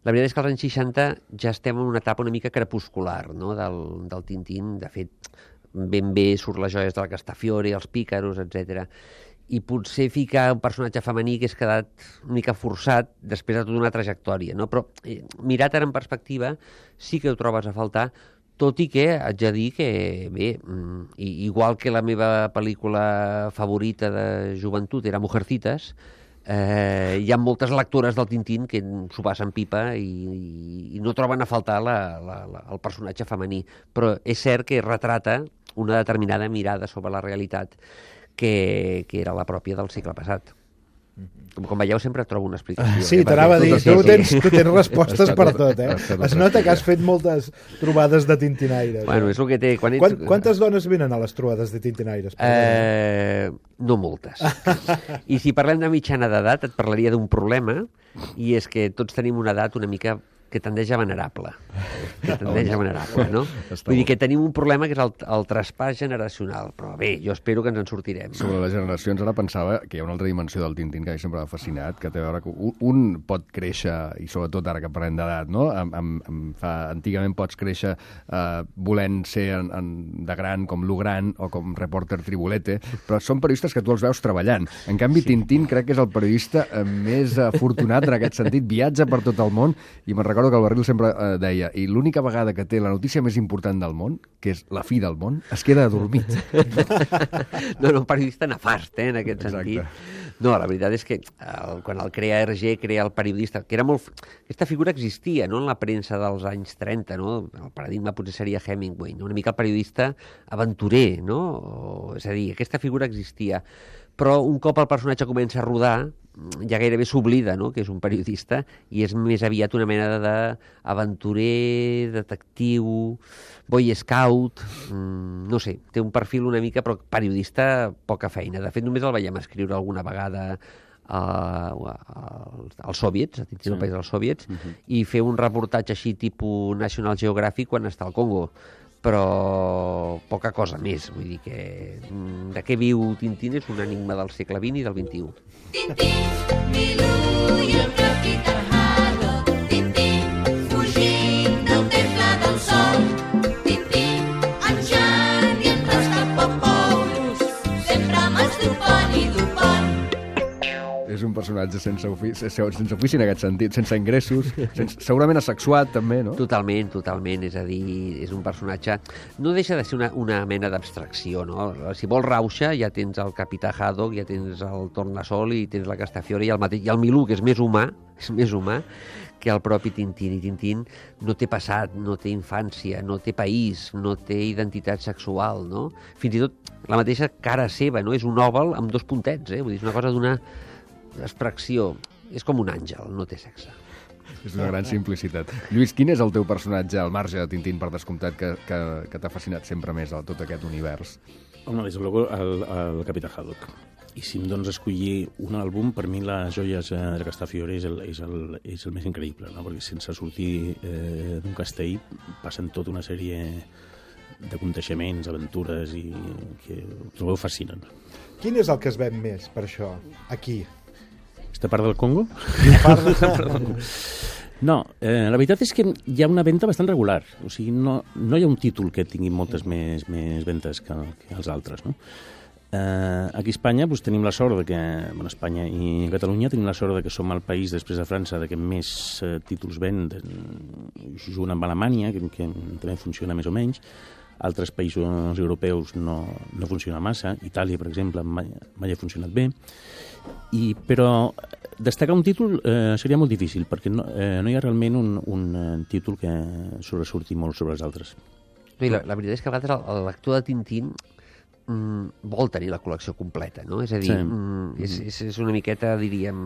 la veritat és que als anys seixanta ja estem en una etapa una mica crepuscular, no?, del, del Tintín. De fet, ben bé surt les joies de la Castafiore, els pícaros, etcètera. I potser ficar un personatge femení que és quedat una mica forçat després de tota una trajectòria, no? Però eh, mirat ara en perspectiva sí que ho trobes a faltar, tot i que haig de dir que, bé, igual que la meva pel·lícula favorita de joventut era Mujercitas, eh, hi ha moltes lectores del Tintín que s'ho passen pipa i, i, i no troben a faltar la, la, la, el personatge femení. Però és cert que retrata una determinada mirada sobre la realitat que, que era la pròpia del segle passat. Com, com veieu, sempre trobo una explicació. Sí, eh? t'anava a dir, sí, tu, sí. tens, tu tens respostes per tot, eh? Es nota que has fet moltes trobades de tintinaires. Bueno, eh? és el que té... Quan ets... Quant, quantes dones venen a les trobades de tintinaires? Eh, no moltes. I si parlem de mitjana d'edat, et parlaria d'un problema, i és que tots tenim una edat una mica que tendeix a venerable. Que tendeix a venerable, no? Vull dir que tenim un problema que és el, el traspàs generacional. Però bé, jo espero que ens en sortirem. Sobre les generacions, ara pensava que hi ha una altra dimensió del Tintín que a mi sempre m'ha fascinat, que té a veure que un, un pot créixer, i sobretot ara que parlem d'edat, no? Amb, amb, amb, fa, antigament pots créixer eh, volent ser en, en, de gran, com Lugran o com reporter Tribulete, però són periodistes que tu els veus treballant. En canvi, sí. Tintín crec que és el periodista eh, més afortunat en aquest sentit, viatja per tot el món, i me'n recordo recordo que el Barril sempre eh, deia i l'única vegada que té la notícia més important del món, que és la fi del món, es queda adormit. No, no, un periodista nefast, eh, en aquest Exacte. sentit. No, la veritat és que el, quan el crea R G, crea el periodista, que era molt... Aquesta figura existia, no?, en la premsa dels anys trenta, no? El paradigma potser seria Hemingway, no? Una mica el periodista aventurer, no? O, és a dir, aquesta figura existia. Però un cop el personatge comença a rodar, ja gairebé s'oblida, no?, que és un periodista, i és més aviat una mena d'aventurer, detectiu, boy scout, mmm, no sé, té un perfil una mica, però periodista, poca feina. De fet, només el veiem escriure alguna vegada uh, als soviets, a dins del país dels soviets, uh-huh. i fer un reportatge així tipus National Geographic quan està al Congo, però poca cosa més. Vull dir que de què viu Tintín és un enigma del segle vint i del vint-i-u. Tintín, Milú i el capità Haddock. Tintín, fugint del temple del sol. Tintín, en Jan i en Rastapopoulos, sempre masturpant i dopant. És un personatge sense ofici, sense ofici en aquest sentit, sense ingressos, sense, segurament asexuat també, no? Totalment, totalment, és a dir, és un personatge... No deixa de ser una, una mena d'abstracció, no? Si vols rauxa, ja tens el capità Haddock, ja tens el Tornasol i tens la Castafiore i el, mateix, i el Milú, que és més humà, és més humà que el propi Tintín. I Tintín no té passat, no té infància, no té país, no té identitat sexual, no? Fins i tot la mateixa cara seva, no? És un òval amb dos puntets, eh? Vull dir, és una cosa d'una extracció. És com un àngel, no té sexe. És una gran simplicitat. Lluís, quin és el teu personatge al marge de Tintín, per descomptat, que, que, que t'ha fascinat sempre més a tot aquest univers? Home, des de luego, el, el Capità Haddock. I si em dones a escollir un àlbum, per mi les joies eh, de Castafiore és el, és, el, és el més increïble, no? Perquè sense sortir eh, d'un castell passen tota una sèrie d'aconteixements, aventures, i que ho trobeu fascinant. Quin és el que es ven més, per això, aquí? Aquesta part del Congo? La part del Congo. No, eh, la veritat és que hi ha una venda bastant regular. O sigui, no, no hi ha un títol que tingui moltes més, més ventes que, que els altres, no? Eh, aquí a Espanya doncs, tenim la sort de que, bueno, Espanya i Catalunya tenim la sort de que som el país, després de França, de que més eh, títols venden, junt amb Alemanya, que, que també funciona més o menys. Altres països europeus no, no funciona massa. Itàlia, per exemple, mai, mai ha funcionat bé. I, però destacar un títol eh, seria molt difícil, perquè no, eh, no hi ha realment un, un eh, títol que sobresurti molt sobre els altres. No, la, la veritat és que a vegades el, el lector de Tintín mm, vol tenir la col·lecció completa, no? És a dir, sí. mm, és, és, és una miqueta, diríem,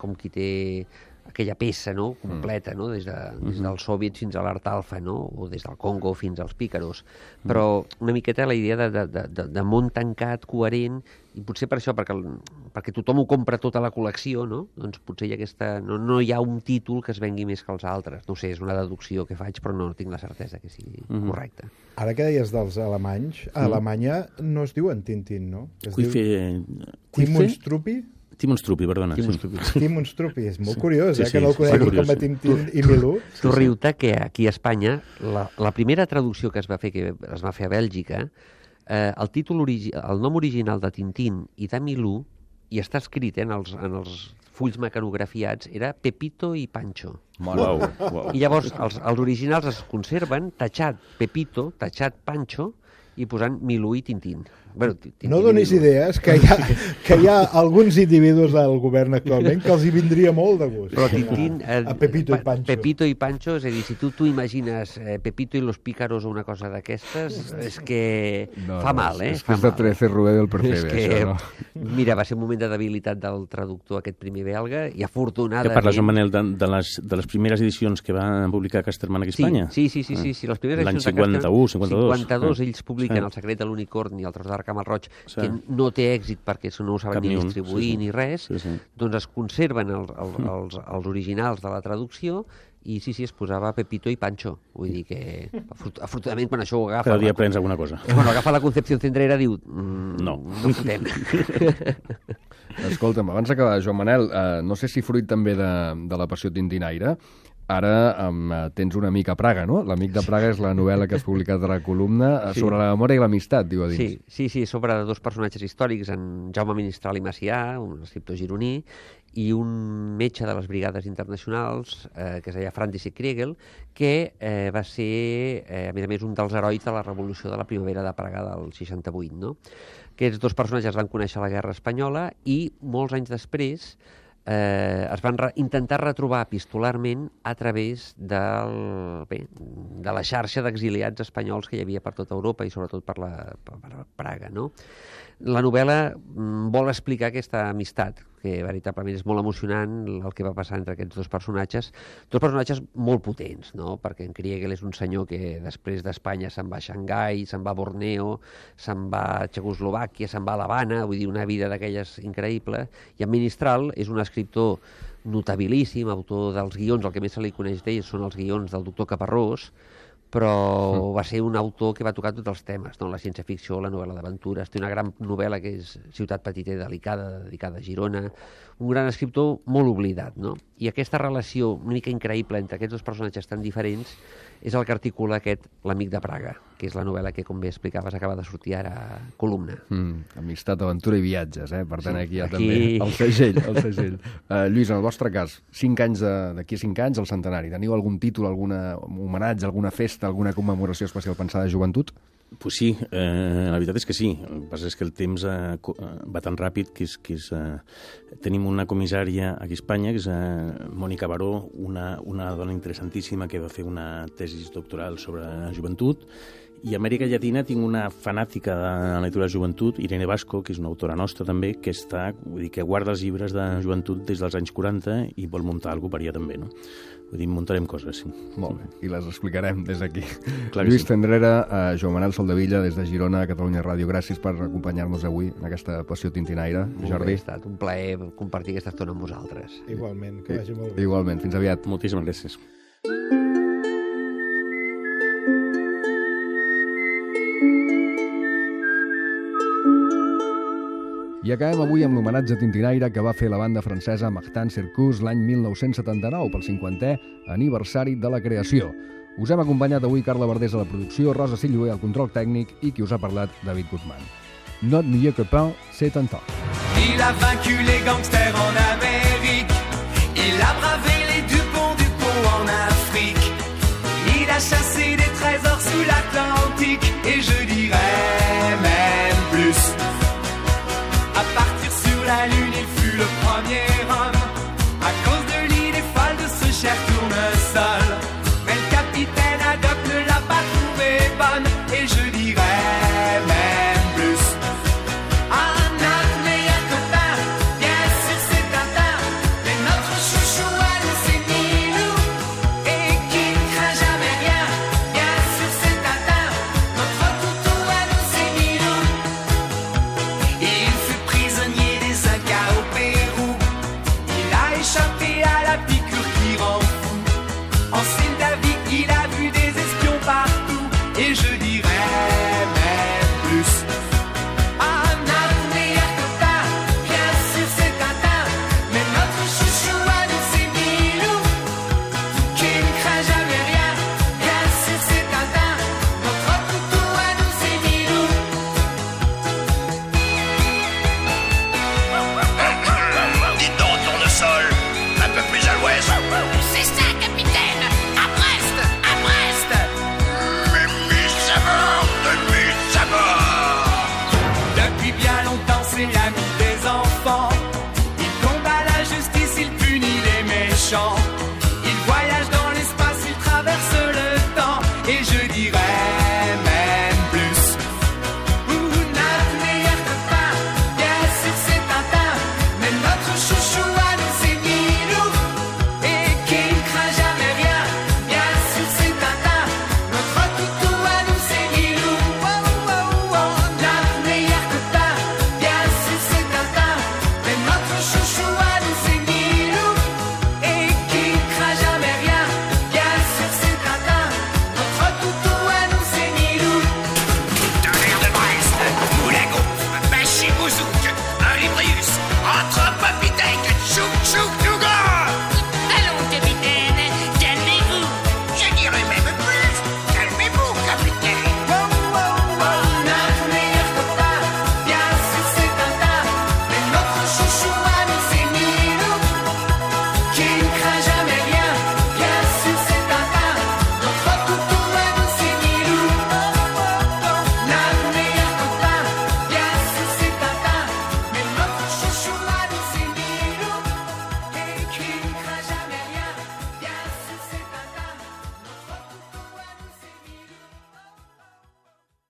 com qui té aquella peça, no?, completa, no?, des, de, des dels soviets fins a l'Art Alfa, no?, o des del Congo fins als pícaros. Però una miqueta la idea de, de, de, de món tancat, coherent, i potser per això, perquè, el, perquè tothom ho compra tota la col·lecció, no?, doncs potser hi ha aquesta, no, no hi ha un títol que es vengui més que els altres. No sé, és una deducció que faig, però no tinc la certesa que sigui mm-hmm. correcte. Ara que deies dels alemanys, a Alemanya no es diuen Tintín, no? Es Cuife... diu... Timon Struppi? Timon Struppi, perdona. Timon Struppi. Timon Struppi, és molt curiós, sí, eh, sí, que no el conegui com a Tintín i Milú. Tu riu-te que aquí a Espanya, la, la primera traducció que es va fer, que es va fer a Bèlgica, eh, el títol origi el nom original de Tintín i de Milú, i està escrit eh, en, els, en els fulls mecanografiats, era Pepito i Pancho. Wow, wow. I llavors els, els originals es conserven tatxat Pepito, tatxat Pancho, i posant Milú i Tintín. Bueno, Tintín no donis idees, que hi, ha, que hi ha alguns individus del govern actualment que els hi vindria molt de gust. Però Tintín... Eh, a Pepito i Pancho. Pepito i Pancho, és a dir, si tu tu imagines eh, Pepito i los pícaros o una cosa d'aquestes, és que no, fa no, mal, eh? És que és de trece Rubé del Percebe, que, això, no? Mira, va ser un moment de debilitat del traductor aquest primer belga, i afortunadament... Que parles, Joan Manel, de, de, les, de les primeres edicions que van publicar Casterman aquí a Espanya? Sí, sí, sí, sí, sí, les primeres L'any edicions cinquanta-u, cinquanta-dos. cinquanta-dos, ells publiquen sí. El secret de l'unicorn i el tros d'arc amb el roig, Sí. que no té èxit perquè no ho saben Cap ni ni un, distribuir sí, sí. ni res, Sí, sí. doncs es conserven el, el, els, els originals de la traducció i sí, sí, es posava Pepito i Pancho. Vull dir que, afortunadament, quan això ho agafa... Cada dia la, aprens alguna cosa. Quan agafa la Concepción Centrera, diu... Mm, no. No fotem. Escolta'm, abans d'acabar, Joan Manel, eh, no sé si fruit també de, de la passió tintinaire, Ara um, tens un amic a Praga, no? L'amic de Praga és la novel·la que has publicat a la columna sí. sobre la memòria i l'amistat, diu a dins. Sí, sí, sí, sobre dos personatges històrics, en Jaume Ministral i Macià, un escriptor gironí, i un metge de les brigades internacionals, eh, que es deia František Kriegel, que eh, va ser, eh, a més a més, un dels herois de la revolució de la primavera de Praga del seixanta-vuit, no? Aquests dos personatges van conèixer la Guerra Espanyola i molts anys després eh, es van re intentar retrobar epistolarment a través del, bé, de la xarxa d'exiliats espanyols que hi havia per tota Europa i sobretot per, la, per, per Praga, no? La novel·la mm, vol explicar aquesta amistat, que veritablement és molt emocionant el que va passar entre aquests dos personatges, dos personatges molt potents, no? Perquè en Kriegel és un senyor que després d'Espanya se'n va a Xangai, se'n va a Borneo, se'n va a Txecoslovàquia, se'n va a l'Havana, vull dir, una vida d'aquelles increïble, i en Ministral és un escriptor notabilíssim, autor dels guions, el que més se li coneix d'ell són els guions del doctor Caparrós, però mm. va ser un autor que va tocar tots els temes, no? La ciència-ficció, la novel·la d'aventures, té una gran novel·la que és Ciutat petita i delicada, dedicada a Girona, un gran escriptor molt oblidat, no? I aquesta relació una mica increïble entre aquests dos personatges tan diferents és el que articula aquest L'amic de Praga, que és la novel·la que, com bé explicaves, acaba de sortir ara a columna. Mm, amistat, aventura i viatges, eh? Per tant, Sí, aquí hi ha aquí- també el segell. El segell. Uh, Lluís, en el vostre cas, cinc anys d'aquí a cinc anys, el centenari. Teniu algun títol, algun homenatge, alguna festa, alguna commemoració especial pensada de joventut? Pues sí, eh, la veritat és que sí. El que passa és que el temps eh, co- eh, va tan ràpid que, és, que és, eh, tenim una comissària aquí a Espanya, que és eh, Mònica Baró, una, una dona interessantíssima que va fer una tesis doctoral sobre joventut, i a Amèrica Llatina tinc una fanàtica de la lectura de joventut, Irene Vasco, que és una autora nostra també, que està, vull dir, que guarda els llibres de joventut des dels anys quaranta i vol muntar alguna cosa per allà també, no? Vull dir, muntarem coses, sí. Molt bé, i les explicarem des d'aquí. Clar que Lluís sí. Tendrera, eh, Joan Manel Soldevilla, des de Girona, Catalunya Ràdio, gràcies per acompanyar-nos avui en aquesta passió tintinaire. Molt bé, Jordi? ha estat un plaer compartir aquesta estona amb vosaltres. Igualment, que vagi molt bé. Igualment, fins aviat. Moltíssimes gràcies. I acabem avui amb l'homenatge tintinaire que va fer la banda francesa Martin Circus l'any mil nou-cents setanta-nou pel cinquantè aniversari de la creació. Us hem acompanyat avui Carla Verdés a la producció, Rosa Silloé al control tècnic i qui us ha parlat, David Guzmán. Notre mieux copain, c'est un temps. Il a vaincu les gangsters en Amérique. Il a bravé les Dupont Dupont en Afrique. Il a chassé des trésors sous l'Atlantique. Et je dirais même plus. À partir sur la Lune, il fut le premier homme. À cause de l'idée folle de ce cher tournesol. Mais le capitaine Haddock ne l'a pas trouvé bonne. Et je dirais même plus. Ah, notre meilleur copain, bien sûr c'est Tintin. Mais notre chouchou à nous c'est Milou. Et qui ne craint jamais rien, bien sûr c'est Tintin. Notre toutou à nous c'est Milou. Il fut prisonnier des Incas au Pérou. Il a échappé à la piqûre qui rend fou. En Moldavie, il a vu des espions partout. Et je dirais même plus. Ah, notre meilleur copain, bien sûr c'est Tintin. Mais notre chouchou à nous c'est Milou. Qui ne craint jamais rien, bien sûr c'est Tintin. Notre toutou à nous c'est Milou. Dites donc, tournesol, un peu plus à l'ouest. C'est ça, capitaine. À Brest, à Brest. Mimi Savard, Mimi Savard. Depuis bien longtemps, c'est l'ami des enfants. Il combat la justice, il punit les méchants.